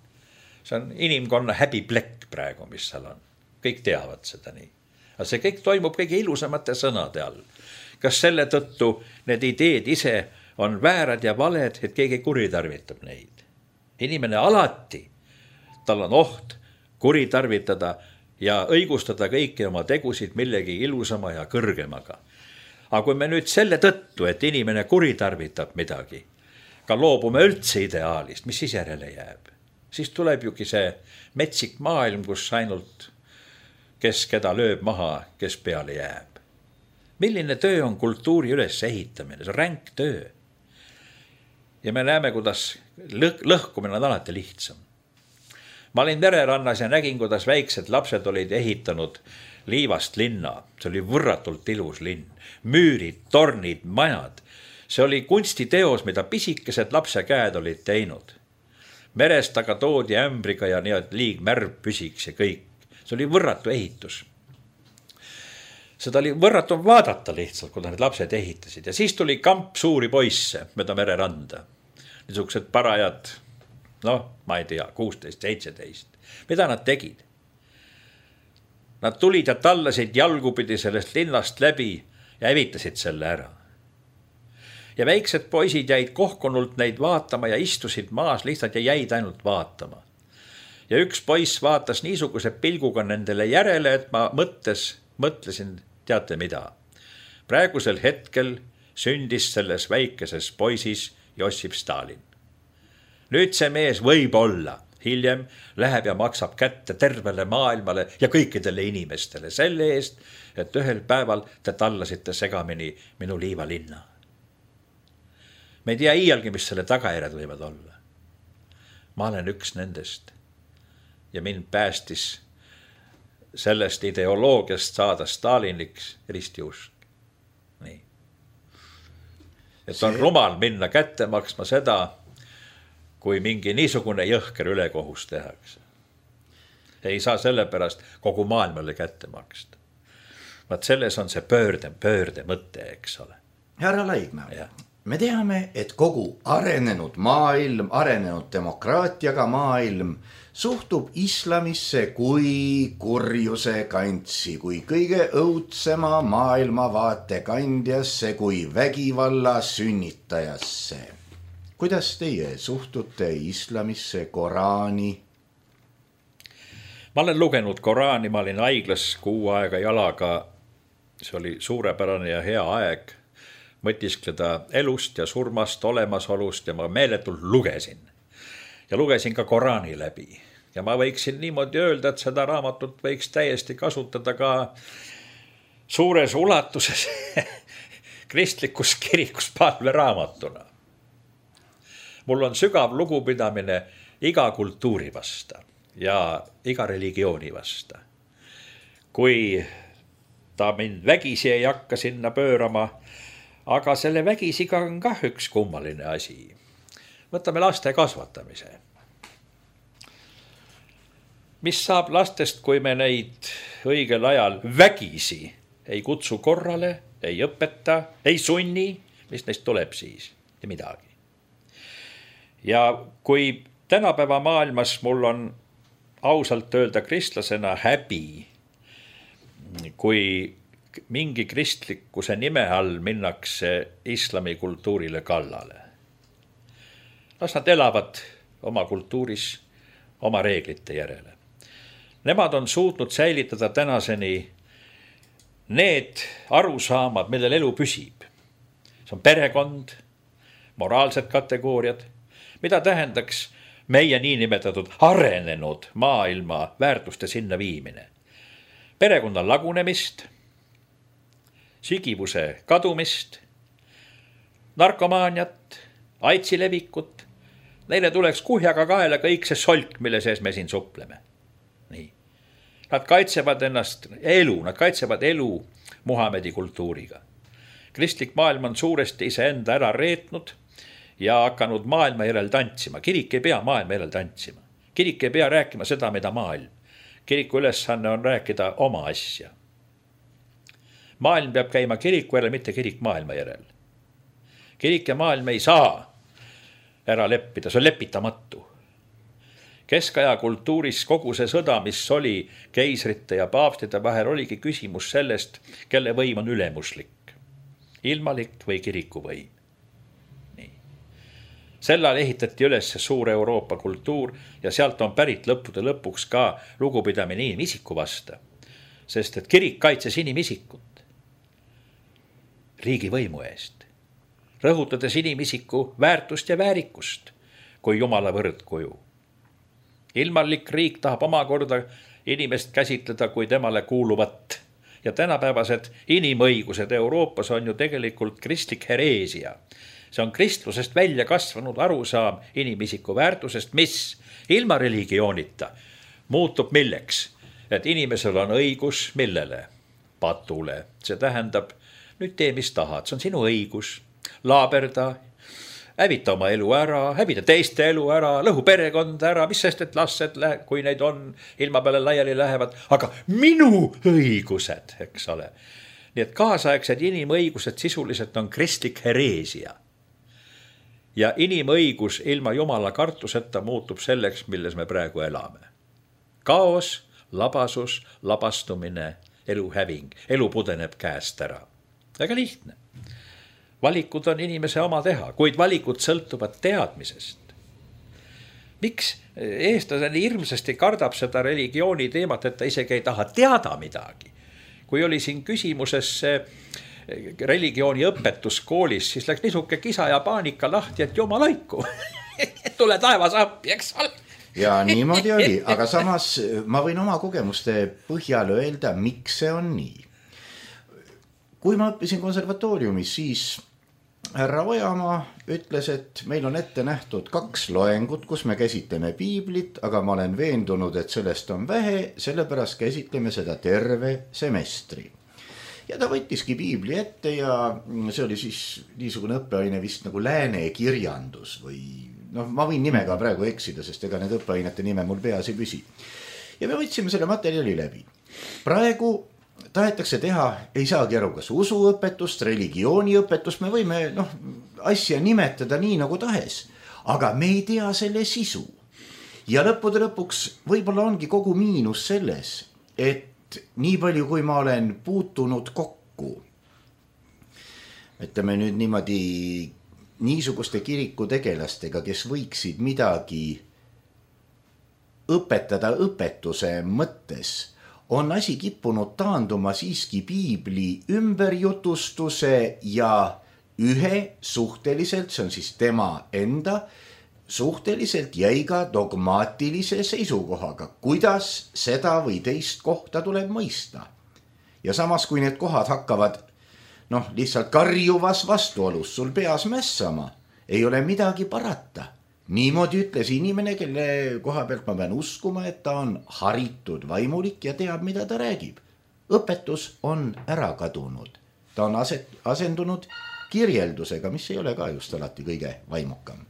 See on inimkonna häbiplekk praegu, mis seal on. Kõik teavad seda nii. Aga see kõik toimub kõige ilusamate sõnade all. Kas selle tõttu need ideed ise on väärad ja valed, et keegi kuritarvitab neid? Inimene alati, tal on oht kuritarvitada ja õigustada kõiki oma tegusid millegi ilusama ja kõrgemaga. Aga kui me nüüd selle tõttu, et inimene kuritarvitab midagi, ka loobume üldse ideaalist, mis siis järele jääb? Siis tuleb jugi see metsik maailm, kus ainult kes keda lööb maha, kes peale jääb. Milline töö on kultuuri üles ehitamine? See on ränk töö. Ja me näeme, kuidas lõh lõhkumine on alati lihtsam. Ma olin Vererannas ja nägin, kuidas väiksed lapsed olid ehitanud liivast linna. See oli võrratult ilus linn. Müürid, tornid, majad. See oli kunstiteos, mida pisikesed lapse käed olid teinud. Merest aga toodi ämbriga ja nii, et liig märv püsiks ja kõik. See oli võrratu ehitus. Seda oli võrratu vaadata lihtsalt, kui need lapsed ehitasid. Ja siis tuli kamp suuri poisse mööda Mereranda. Niisugused parajad, noh, ma ei tea, kuusteist, seitseteist. Mida nad tegid? Nad tulid ja tallasid jalgupidi sellest linnast läbi ja hävitasid selle ära. Ja väiksed poisid jäid kohkunult neid vaatama ja istusid maas lihtsalt ja jäid ainult vaatama. Ja üks poiss vaatas niisuguse pilguga nendele järele, et ma mõttes, mõtlesin, teate mida. Praegusel hetkel sündis selles väikeses poisis Jossif Stalin. Nüüd see mees võib olla, hiljem läheb ja maksab kätte tervele maailmale ja kõikidele inimestele selle eest, et ühel päeval te tallasite segamini minu liivalinna. Me ei tea iialgi, mis selle tagajärjed võivad olla. Ma olen üks nendest. Ja mind päästis sellest ideoloogiast saada Staliniks ristiusk. Nii. Et on rumal minna kätte maksma seda, kui mingi niisugune jõhker ülekohus tehakse. Ei saa selle pärast kogu maailmale kätte maksta. Vaat selles on see pöörde, pöörde mõte, eks ole. Härra Laigna, me teame, et kogu arenenud maailm, arenenud demokraatiaga maailm suhtub islamisse kui kurjuse kantsi, kui kõige õudsema maailmavaate kandjasse, kui vägivalla sünnitajasse. Kuidas teie suhtute islamisse, Koraani? Ma olen lugenud Koraani, ma olin haiglas kuu aega jalaga. See oli suurepärane ja hea aeg mõtiskleda elust ja surmast, olemasolust ja ma meeletult lugesin. Ja lugesin ka Koraani läbi. Ja ma võiksin niimoodi öelda, et seda raamatut võiks täiesti kasutada ka suures ulatuses kristlikus kirikus palveraamatuna. Mul on sügav lugupidamine iga kultuuri vasta ja iga religiooni vasta. Kui ta mind vägisi ei hakka sinna pöörama, aga selle vägisiga on kah üks kummaline asi. Võtame laste kasvatamise. mis saab lastest, kui me neid õigel ajal vägisi ei kutsu korrale, ei õpeta, ei sunni, mis neist tuleb siis? Ja midagi. Ja kui tänapäeva maailmas mul on ausalt öelda kristlasena häbi, kui mingi kristlikkuse nime all minnakse islami kultuurile kallale. Las nad elavad oma kultuuris, oma reeglite järele. Nemad on suutnud säilitada tänaseni need arusaamad, millel elu püsib. See on perekond, moraalsed kategooriad, mida tähendaks meie niinimetatud arenenud maailma väärtuste sinna viimine. Perekonna lagunemist, sigivuse kadumist, narkomaaniat, aidsi levikut. Neile tuleks kuhjaga kaela kõik see solk, mille sees me siin supleme. Nii. Nad kaitsevad ennast elu, nad kaitsevad elu Muhamedi kultuuriga. Kristlik maailm on suuresti iseenda ära reetnud ja hakanud maailma järel tantsima. Kirik ei pea maailma järel tantsima. Kirik ei pea rääkima seda, mida maailm. Kiriku ülesanne on rääkida oma asja. Maailm peab käima kiriku järel, mitte kirik maailma järel. Kirik ja maailm ei saa ära leppida, see on lepitamatu. Keskaja kultuuris kogu see sõda, mis oli keisrite ja paavstide vahel, oligi küsimus sellest, kelle võim on ülemuslik. Ilmalik või kiriku võim. Nii. Sellal ehitati üles suur Euroopa kultuur ja sealt on pärit lõppude lõpuks ka lugupidamine inimisiku vasta. Sest et kirik kaitses inimisikut riigi võimu eest, rõhutades inimisiku väärtust ja väärikust kui Jumala võrdkuju. Ilmalik riik tahab omakorda inimest käsitleda kui temale kuuluvat ja tänapäevased inimõigused Euroopas on ju tegelikult kristlik hereesia. See on kristlusest välja kasvanud arusaam inimisiku väärtusest, mis ilma religioonita muutub milleks, et inimesel on õigus millele? Patule. See tähendab, nüüd tee mis tahad, see on sinu õigus, laaberda, hävita oma elu ära, hävita teiste elu ära, lõhu perekond ära, mis sest, et lased, kui neid on, ilma peale laiali lähevad, aga minu õigused, eks ole. Nii et kaasaegsed inimõigused sisuliselt on kristlik hereesia. Ja inimõigus ilma Jumala kartuseta muutub selleks, milles me praegu elame. Kaos, labasus, labastumine, elu häving, elu pudeneb käest ära. Väga lihtne. Valikud on inimese oma teha, kuid valikud sõltuvad teadmisest. Miks eestlaseni hirmsasti kardab seda religiooni teemat, et ta isegi ei taha teada midagi? Kui oli siin küsimuses religiooni õpetus koolis, siis läks nisuke kisa ja paanika lahti, et jumalaiku, tule taevas appi, eks ole. Ja niimoodi oli, aga samas ma võin oma kogemuste põhjal öelda, miks see on nii. Kui ma õppisin konservatooriumis, siis härra Ojamaa ütles, et meil on ette nähtud kaks loengut, kus me käsitleme piiblit, aga ma olen veendunud, et sellest on vähe, sellepärast käsitleme seda terve semestri. Ja ta võttiski piibli ette ja see oli siis niisugune õppeaine vist nagu lääne kirjandus või noh, ma võin nimega praegu eksida, sest ega need õppeainete nime mul peas ei püsi. Ja me võtsime selle materjali läbi. Praegu tahetakse teha, ei saagi aru, kas usuõpetust, religiooniõpetust, me võime noh, asja nimetada nii nagu tahes, aga me ei tea selle sisu. Ja lõppude lõpuks võib-olla ongi kogu miinus selles, et nii palju, kui ma olen puutunud kokku, ütleme nüüd niimoodi niisuguste kiriku tegelastega, kes võiksid midagi õpetada õpetuse mõttes, on asi kippunud taanduma siiski piibli ümberjutustuse ja ühe suhteliselt, see on siis tema enda, suhteliselt jäiga dogmaatilise seisukohaga, kuidas seda või teist kohta tuleb mõista. Ja samas, kui need kohad hakkavad noh, lihtsalt karjuvas vastuolus sul peas mässama, ei ole midagi parata. Niimoodi ütles inimene, kelle koha pealt ma pean uskuma, et ta on haritud vaimulik ja teab, mida ta räägib. Õpetus on ära kadunud. Ta on asendunud kirjeldusega, mis ei ole ka just alati kõige vaimukam.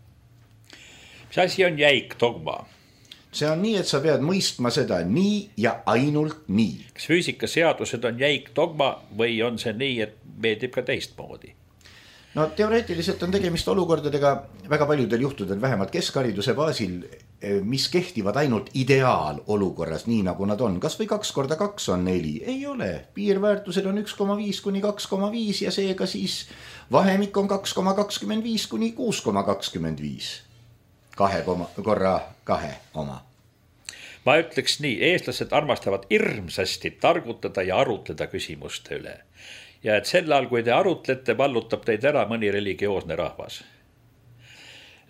Mis asi on jäik dogma? see on nii, et sa pead mõistma seda nii ja ainult nii. Kas füüsikaseadused on jäik dogma või on see nii, et meeldib ka teistmoodi? No teoreetiliselt on tegemist olukordadega väga paljudel juhtudel, vähemalt keskhariduse baasil, mis kehtivad ainult ideaalolukorras, nii nagu nad on. Kas või kaks korda kaks on neli? Ei ole. Piirväärtused on üks koma viis kuni kaks koma viis ja seega siis vahemik on kaks koma kakskümmend viis kuni kuus koma kakskümmend viis. Kahe korra kahe oma. Ma ütleks nii, eestlased armastavad hirmsasti targutada ja arutleda küsimuste üle. Ja et sel ajal, kui te arutlete, vallutab teid ära mõni religioosne rahvas.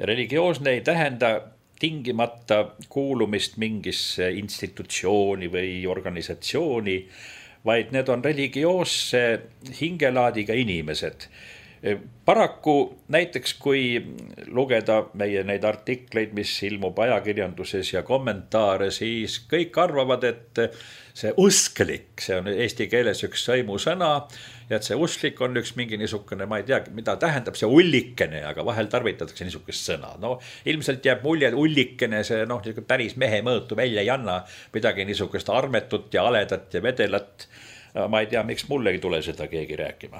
Religioosne ei tähenda tingimata kuulumist mingisse institutsiooni või organisatsiooni, vaid need on religioosse hingelaadiga inimesed. Paraku näiteks, kui lugeda meie neid artikleid, mis ilmub ajakirjanduses ja kommentaare, siis kõik arvavad, et see usklik, see on eesti keeles üks sõimusõna, ja et see usklik on üks mingi niisugune, ma ei tea, mida tähendab see ullikene, aga vahel tarvitatakse niisugust sõna. No ilmselt jääb mulje, et ullikene, see noh, päris mehe mõõtu välja ei anna midagi niisugust armetut ja aledat ja vedelat. Ma ei tea, miks mulle ei tule seda keegi rääkima.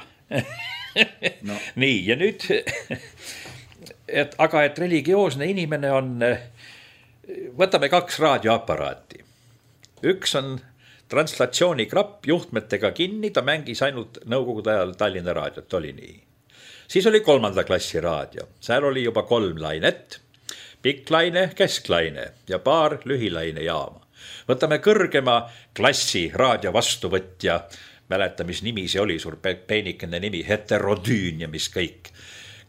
No. Nii, ja nüüd, et, aga et religioosne inimene on, võtame kaks raadioaparaati. Üks on translatsioonikrapp juhtmetega kinni, ta mängis ainult nõukogude ajal Tallinna raadiot, oli nii. Siis oli kolmanda klassi raadio, seal oli juba kolm lainet, pikk laine, kesklaine ja paar lühilaine jaama. Võtame kõrgema klassi raadio vastuvõtja, mäleta, mis nimi see oli, suur peenikene nimi, heterodüün ja mis kõik.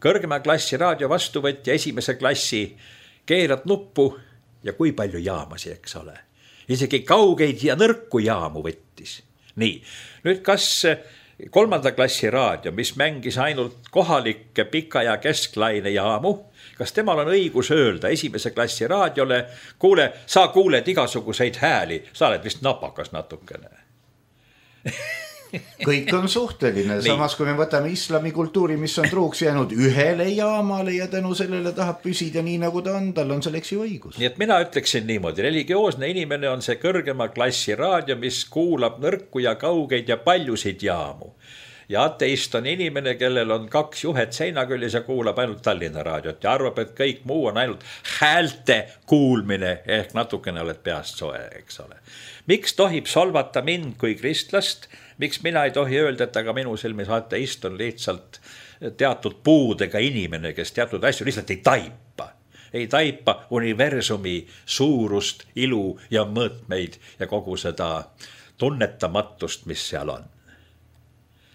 Kõrgema klassi raadio vastuvõtja esimese klassi keerad nuppu ja kui palju jaamasi, eks ole. Isegi kaugeid ja nõrku jaamu võttis. Nii, nüüd kas kolmanda klassi raadio, mis mängis ainult kohalikke pika ja kesklaine jaamu, kas temal on õigus öelda esimese klassi raadiole, kuule, sa kuuled igasuguseid hääli, sa oled vist napakas natukene. Kõik on suhteline, samas kui me võtame islami kultuuri, mis on truuks jäänud ühele jaamale ja tänu sellele tahab püsida nii nagu ta on, tal on selleks ju õigus. Nii et mina ütleksin niimoodi, religioosne inimene on see kõrgema klassi raadio, mis kuulab nõrku ja kaugeid ja paljusid jaamu. Ja ateist on inimene, kellel on kaks juhet seinaküljes ja kuulab ainult Tallinna raadiot ja arvab, et kõik muu on ainult häälte kuulmine, ehk natukene oled peast soe, eks ole. Miks tohib solvata mind kui kristlast? Miks mina ei tohi öelda, et aga minu silmis ateist on lihtsalt teatud puudega inimene, kes teatud asju lihtsalt ei taipa. Ei taipa universumi suurust, ilu ja mõõtmeid ja kogu seda tunnetamatust, mis seal on.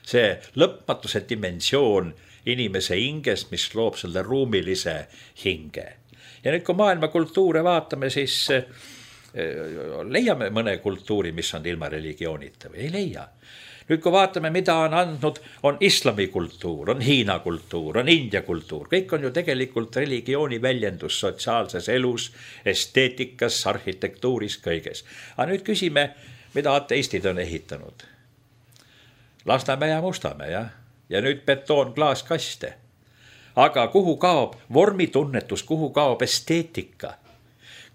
See lõpmatuse dimensioon inimese hinges, mis loob selle ruumilise hinge. Ja nüüd, kui maailma kultuure vaatame, siis leiame mõne kultuuri, mis on ilma religioonita või ei leia. Nüüd, kui vaatame, mida on andnud, on islami kultuur, on Hiina kultuur, on India kultuur. Kõik on ju tegelikult religiooni väljendus sotsiaalses elus, esteetikas, arhitektuuris, kõiges. Aga nüüd küsime, mida ateistid on ehitanud. Lasnamäe ja Mustamäe, jah? Ja nüüd betoon klaaskaste. Aga kuhu kaob vormitunnetus, kuhu kaob esteetika?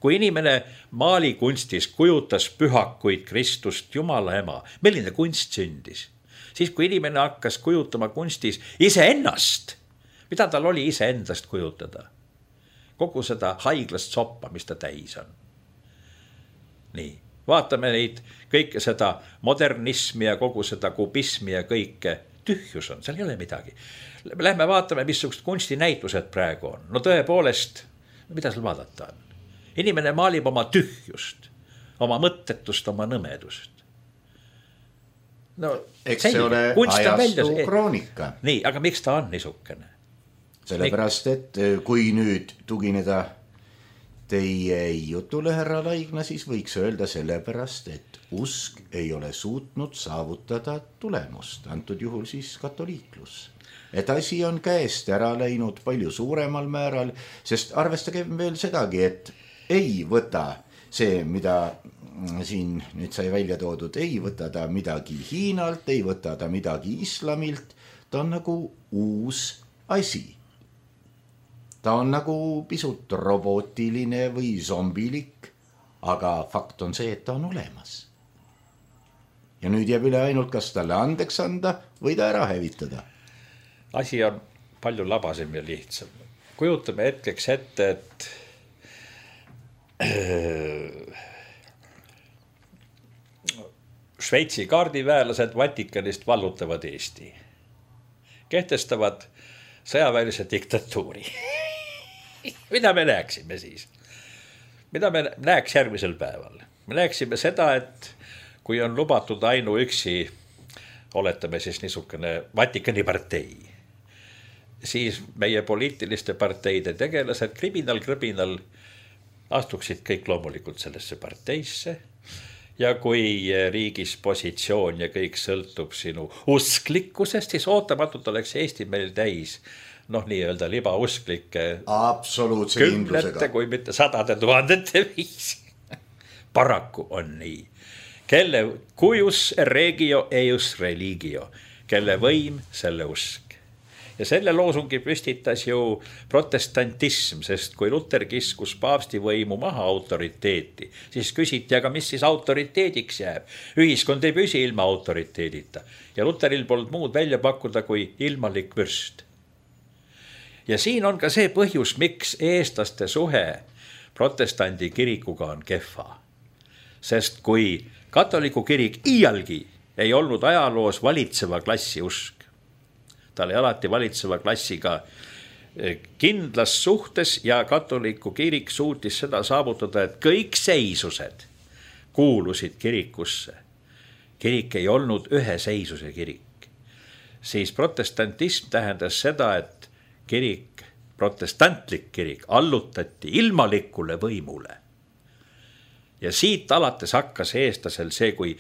Kui inimene maalikunstis kujutas pühakuid Kristust, Jumala ema, milline kunst sündis? Siis kui inimene hakkas kujutama kunstis iseennast, mida tal oli iseendast kujutada? Kogu seda haiglast soppa, mis ta täis on. Nii. Vaatame neid kõike seda modernismi ja kogu seda kubismi ja kõike. Tühjus on, seal ei ole midagi. Lähme vaatame, missugust kunstinäitused praegu on. No tõepoolest, mida seal vaadata on? Inimene maalib oma tühjust, oma mõttetust, oma nõmedust. No, eks see ole ajastu kroonika. Nii, aga miks ta on niisugune? Sellepärast, et kui nüüd tugineda teie jutule, härra Laigna, siis võiks öelda sellepärast, et usk ei ole suutnud saavutada tulemust, antud juhul siis katoliiklus. Et asi on käest ära läinud palju suuremal määral, sest arvestage veel sedagi, et ei võta see, mida siin nüüd sai välja toodud, ei võta ta midagi Hiinalt, ei võta ta midagi islamilt, ta on nagu uus asi. Ta on nagu pisut robotiline või zombilik, aga fakt on see, et ta on olemas. Ja nüüd jääb üle ainult, kas talle andeks anda või ta ära hävitada. Asi on palju labasem ja lihtsam. Kujutame hetkeks ette, et Šveitsi kaardiväelased Vatikanist vallutavad Eesti. Kehtestavad sõjaväelise diktatuuri. Mida me näeksime siis? Mida me näeks järgmisel päeval? Me näeksime seda, et kui on lubatud ainuüksi, oletame siis niisugune Vatikani partei, siis meie poliitiliste parteide tegelased kriminal-kriminal astuksid kõik loomulikult sellesse parteisse ja kui riigis positsioon ja kõik sõltub sinu usklikkusest, siis ootamatult oleks Eesti meil täis noh, nii-öelda libausklikke absoluutse kümnete, kui mitte sadade tuhandete viisi. Paraku on nii. Kelle cujus regio eius religio, kelle võim, selle usk. Ja selle loosungi püstitas ju protestantism, sest kui Luter kiskus paavsti võimu maha autoriteeti, siis küsiti, aga mis siis autoriteediks jääb? Ühiskond ei püsi ilma autoriteedita ja Luteril polnud muud välja pakkuda kui ilmalik vürst. Ja siin on ka see põhjus, miks eestlaste suhe protestandi kirikuga on kehva. Sest kui katoliku kirik iialgi ei olnud ajaloos valitseva klassi usk, ta oli alati valitseva klassiga kindlas suhtes ja katoliku kirik suutis seda saavutada, et kõik seisused kuulusid kirikusse. Kirik ei olnud ühe seisuse kirik. Siis protestantism tähendas seda, et kirik, protestantlik kirik allutati ilmalikule võimule. Ja siit alates hakkas eestlasel see, kui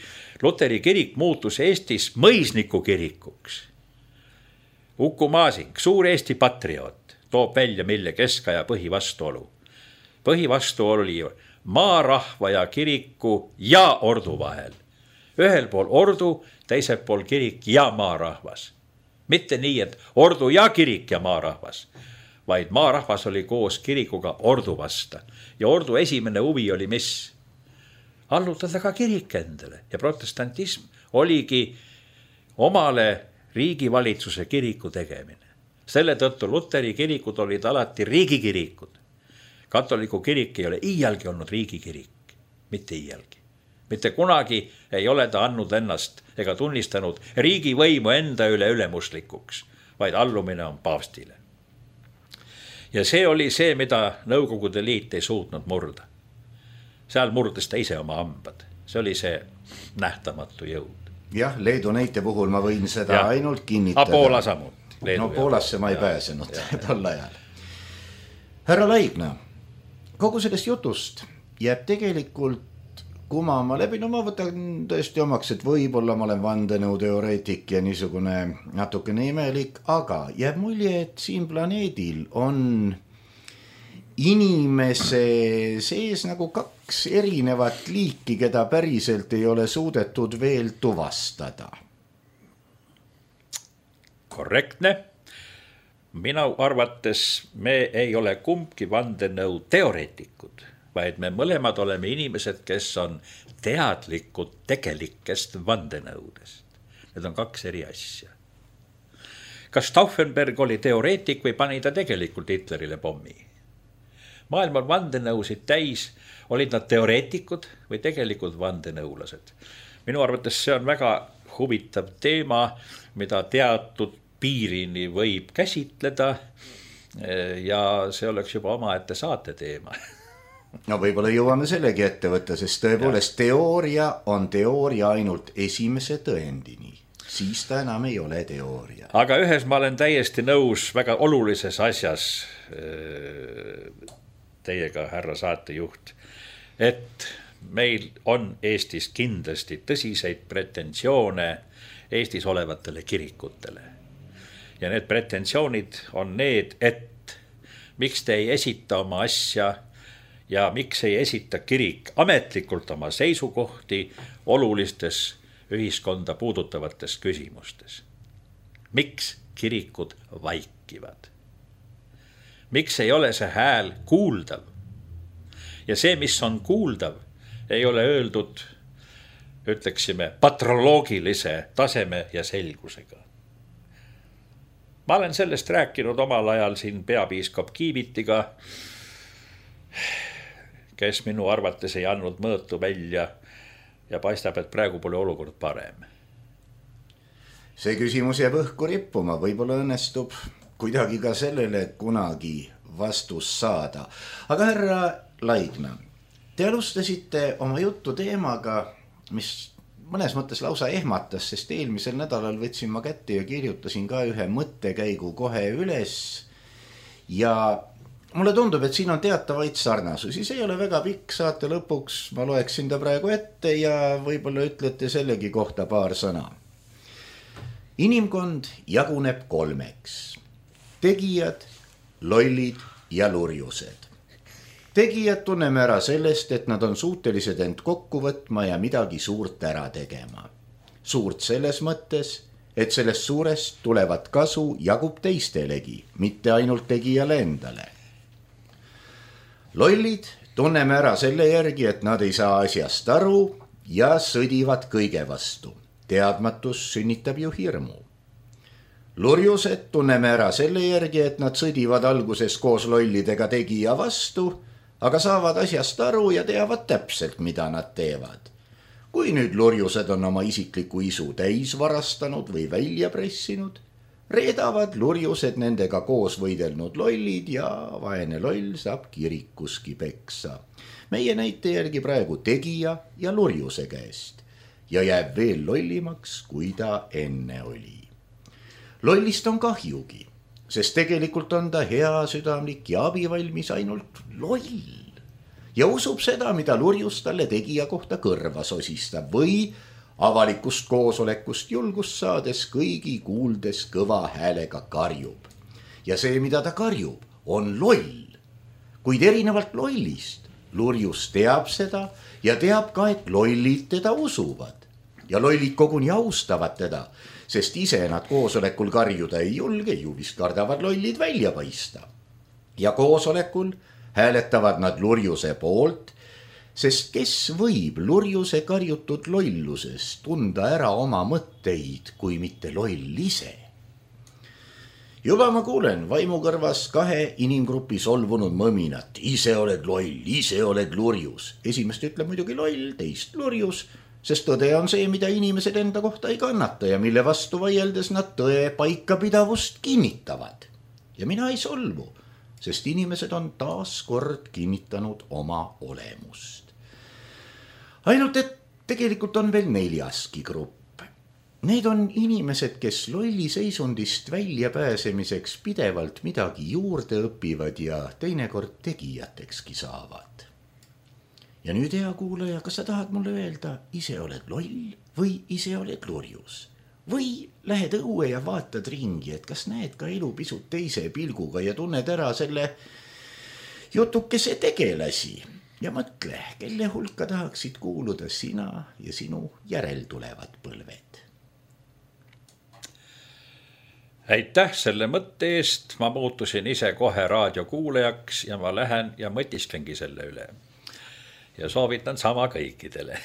Luteri kirik muutus Eestis mõisniku kirikuks. Uku Masing, suur Eesti patrioot, toob välja mille keskaja põhivastuolu. Põhivastuolu oli maarahva ja kiriku ja ordu vahel. Ühel pool ordu, teisel pool kirik ja maarahvas. Mitte nii, et ordu ja kirik ja maarahvas, vaid maarahvas oli koos kirikuga ordu vasta. Ja ordu esimene huvi oli mis? Allutada ka kirik endale. Ja protestantism oligi omale riigivalitsuse kiriku tegemine. Selle tõttu Luteri kirikud olid alati riigikirikud. Katoliku kirik ei ole iialgi olnud riigikirik. Mitte iialgi. Mitte kunagi ei ole ta andnud ennast ega tunnistanud riigivõimu enda üle ülemuslikuks, vaid allumine on paavstile. Ja see oli see, mida Nõukogude Liit ei suutnud murda. Seal murdes ta ise oma hambad. See oli see nähtamatu jõud. Jah, Leedu näite puhul ma võin seda ja ainult kinnitada. A Poola samuti. No Poolasse ma ei ja pääsenud tol ajal. Härra Laigna, kogu sellest jutust jääb tegelikult kumama läbi, no ma võtan tõesti omaks, et võib-olla ma olen vandenõuteoreetik ja niisugune natukene imelik, aga jääb mulje, et siin planeedil on inimese sees nagu kaks erinevat liiki, keda päriselt ei ole suudetud veel tuvastada. Korrektne. Minu arvates me ei ole kumbki vandenõu teoreetikud, vaid me mõlemad oleme inimesed, kes on teadlikud tegelikest vandenõudest. Need on kaks eri asja. Kas Stauffenberg oli teoreetik või pani ta tegelikult Hitlerile pommi? Maailm on vandenõusid täis, olid nad teoreetikud või tegelikult vandenõulased. Minu arvates see on väga huvitav teema, mida teatud piirini võib käsitleda ja see oleks juba omaette saate teema. No võib-olla jõuame sellegi ette võtta, sest tõepoolest ja. Teooria on teooria ainult esimese tõendini. Siis ta enam ei ole teooria. Aga ühes ma olen täiesti nõus väga olulises asjas teiega, härra saatejuht, et meil on Eestis kindlasti tõsiseid pretensioone Eestis olevatele kirikutele. Ja need pretensioonid on need, et miks te ei esita oma asja ja miks ei esita kirik ametlikult oma seisukohti olulistes ühiskonda puudutavates küsimustes. Miks kirikud vaikivad? Miks ei ole see hääl kuuldav? Ja see, mis on kuuldav, ei ole öeldud, ütleksime, patroloogilise taseme ja selgusega. Ma olen sellest rääkinud omal ajal siin peapiiskop Kiivitiga, kes minu arvates ei andnud mõõtu välja ja paistab, et praegu pole olukord parem. See küsimus jääb õhku rippuma, võib-olla õnnestub kuidagi ka sellele kunagi vastus saada. Aga härra Laigna, te alustasite oma juttu teemaga, mis mõnes mõttes lausa ehmatas, sest eelmisel nädalal võtsin ma kätte ja kirjutasin ka ühe mõttekäigu kohe üles ja mulle tundub, et siin on teatavaid sarnasusi, see ei ole väga pikk, saate lõpuks ma loeksin ta praegu ette ja võib-olla ütlete sellegi kohta paar sõna. Inimkond jaguneb kolmeks. Tegijad, lollid ja lurjused. Tegijad tunneme ära sellest, et nad on suutelised end kokku võtma ja midagi suurt ära tegema. Suurt selles mõttes, et sellest suurest tulevat kasu jagub teistelegi, mitte ainult tegijale endale. Lollid tunneme ära selle järgi, et nad ei saa asjast aru ja sõdivad kõige vastu. Teadmatus sünnitab ju hirmu. Lurjused tunneme ära selle järgi, et nad sõdivad alguses koos lollidega tegija vastu, aga saavad asjast aru ja teavad täpselt, mida nad teevad. Kui nüüd lurjused on oma isikliku isu täis varastanud või välja pressinud, reedavad lurjused nendega koos võidelnud lollid ja vaene loll saab kirikuski peksa. Meie näite järgi praegu tegija ja lurjuse käest ja jääb veel lollimaks, kui ta enne oli. Lollist on kahjugi, sest tegelikult on ta hea südamlik ja abivalmis ainult loll ja usub seda, mida lurjus talle tegija kohta kõrva sosistab või avalikust koosolekust julgust saades kõigi kuuldes kõva häälega karjub. Ja see, mida ta karjub, on loll. Kuid erinevalt lollist, lurjus teab seda ja teab ka, et lollid teda usuvad. Ja lollid koguni austavad teda, sest ise nad koosolekul karjuda ei julge, ju vist kardavad lollid välja paista. Ja koosolekul hääletavad nad lurjuse poolt, sest kes võib lurjuse karjutud lolluses tunda ära oma mõtteid, kui mitte loll ise. Juba ma kuulen vaimukõrvas kahe inimgrupi solvunud mõminat. Ise oled loll, ise oled lurjus. Esimest ütleb muidugi loll, teist lurjus, sest tõde on see, mida inimesed enda kohta ei kannata ja mille vastu vaieldes nad tõe paikapidavust kinnitavad. Ja mina ei solvu, sest inimesed on taas kord kinnitanud oma olemust. Ainult, et tegelikult on veel neljaski grupp. Need on inimesed, kes lolli seisundist välja pääsemiseks pidevalt midagi juurde õpivad ja teinekord tegijatekski saavad. Ja nüüd hea kuulaja, kas sa tahad mulle öelda, ise oled loll või ise oled lurjus? Või lähed õue ja vaatad ringi, et kas näed ka elu pisut teise pilguga ja tunned ära selle jutukese tegelasi ja mõtle, kelle hulka tahaksid kuuluda sina ja sinu järeltulevad põlved. Aitäh selle mõtte eest, ma muutusin ise kohe raadiokuulajaks ja ma lähen ja mõtisklengi selle üle. Ja soovitan sama kõikidele.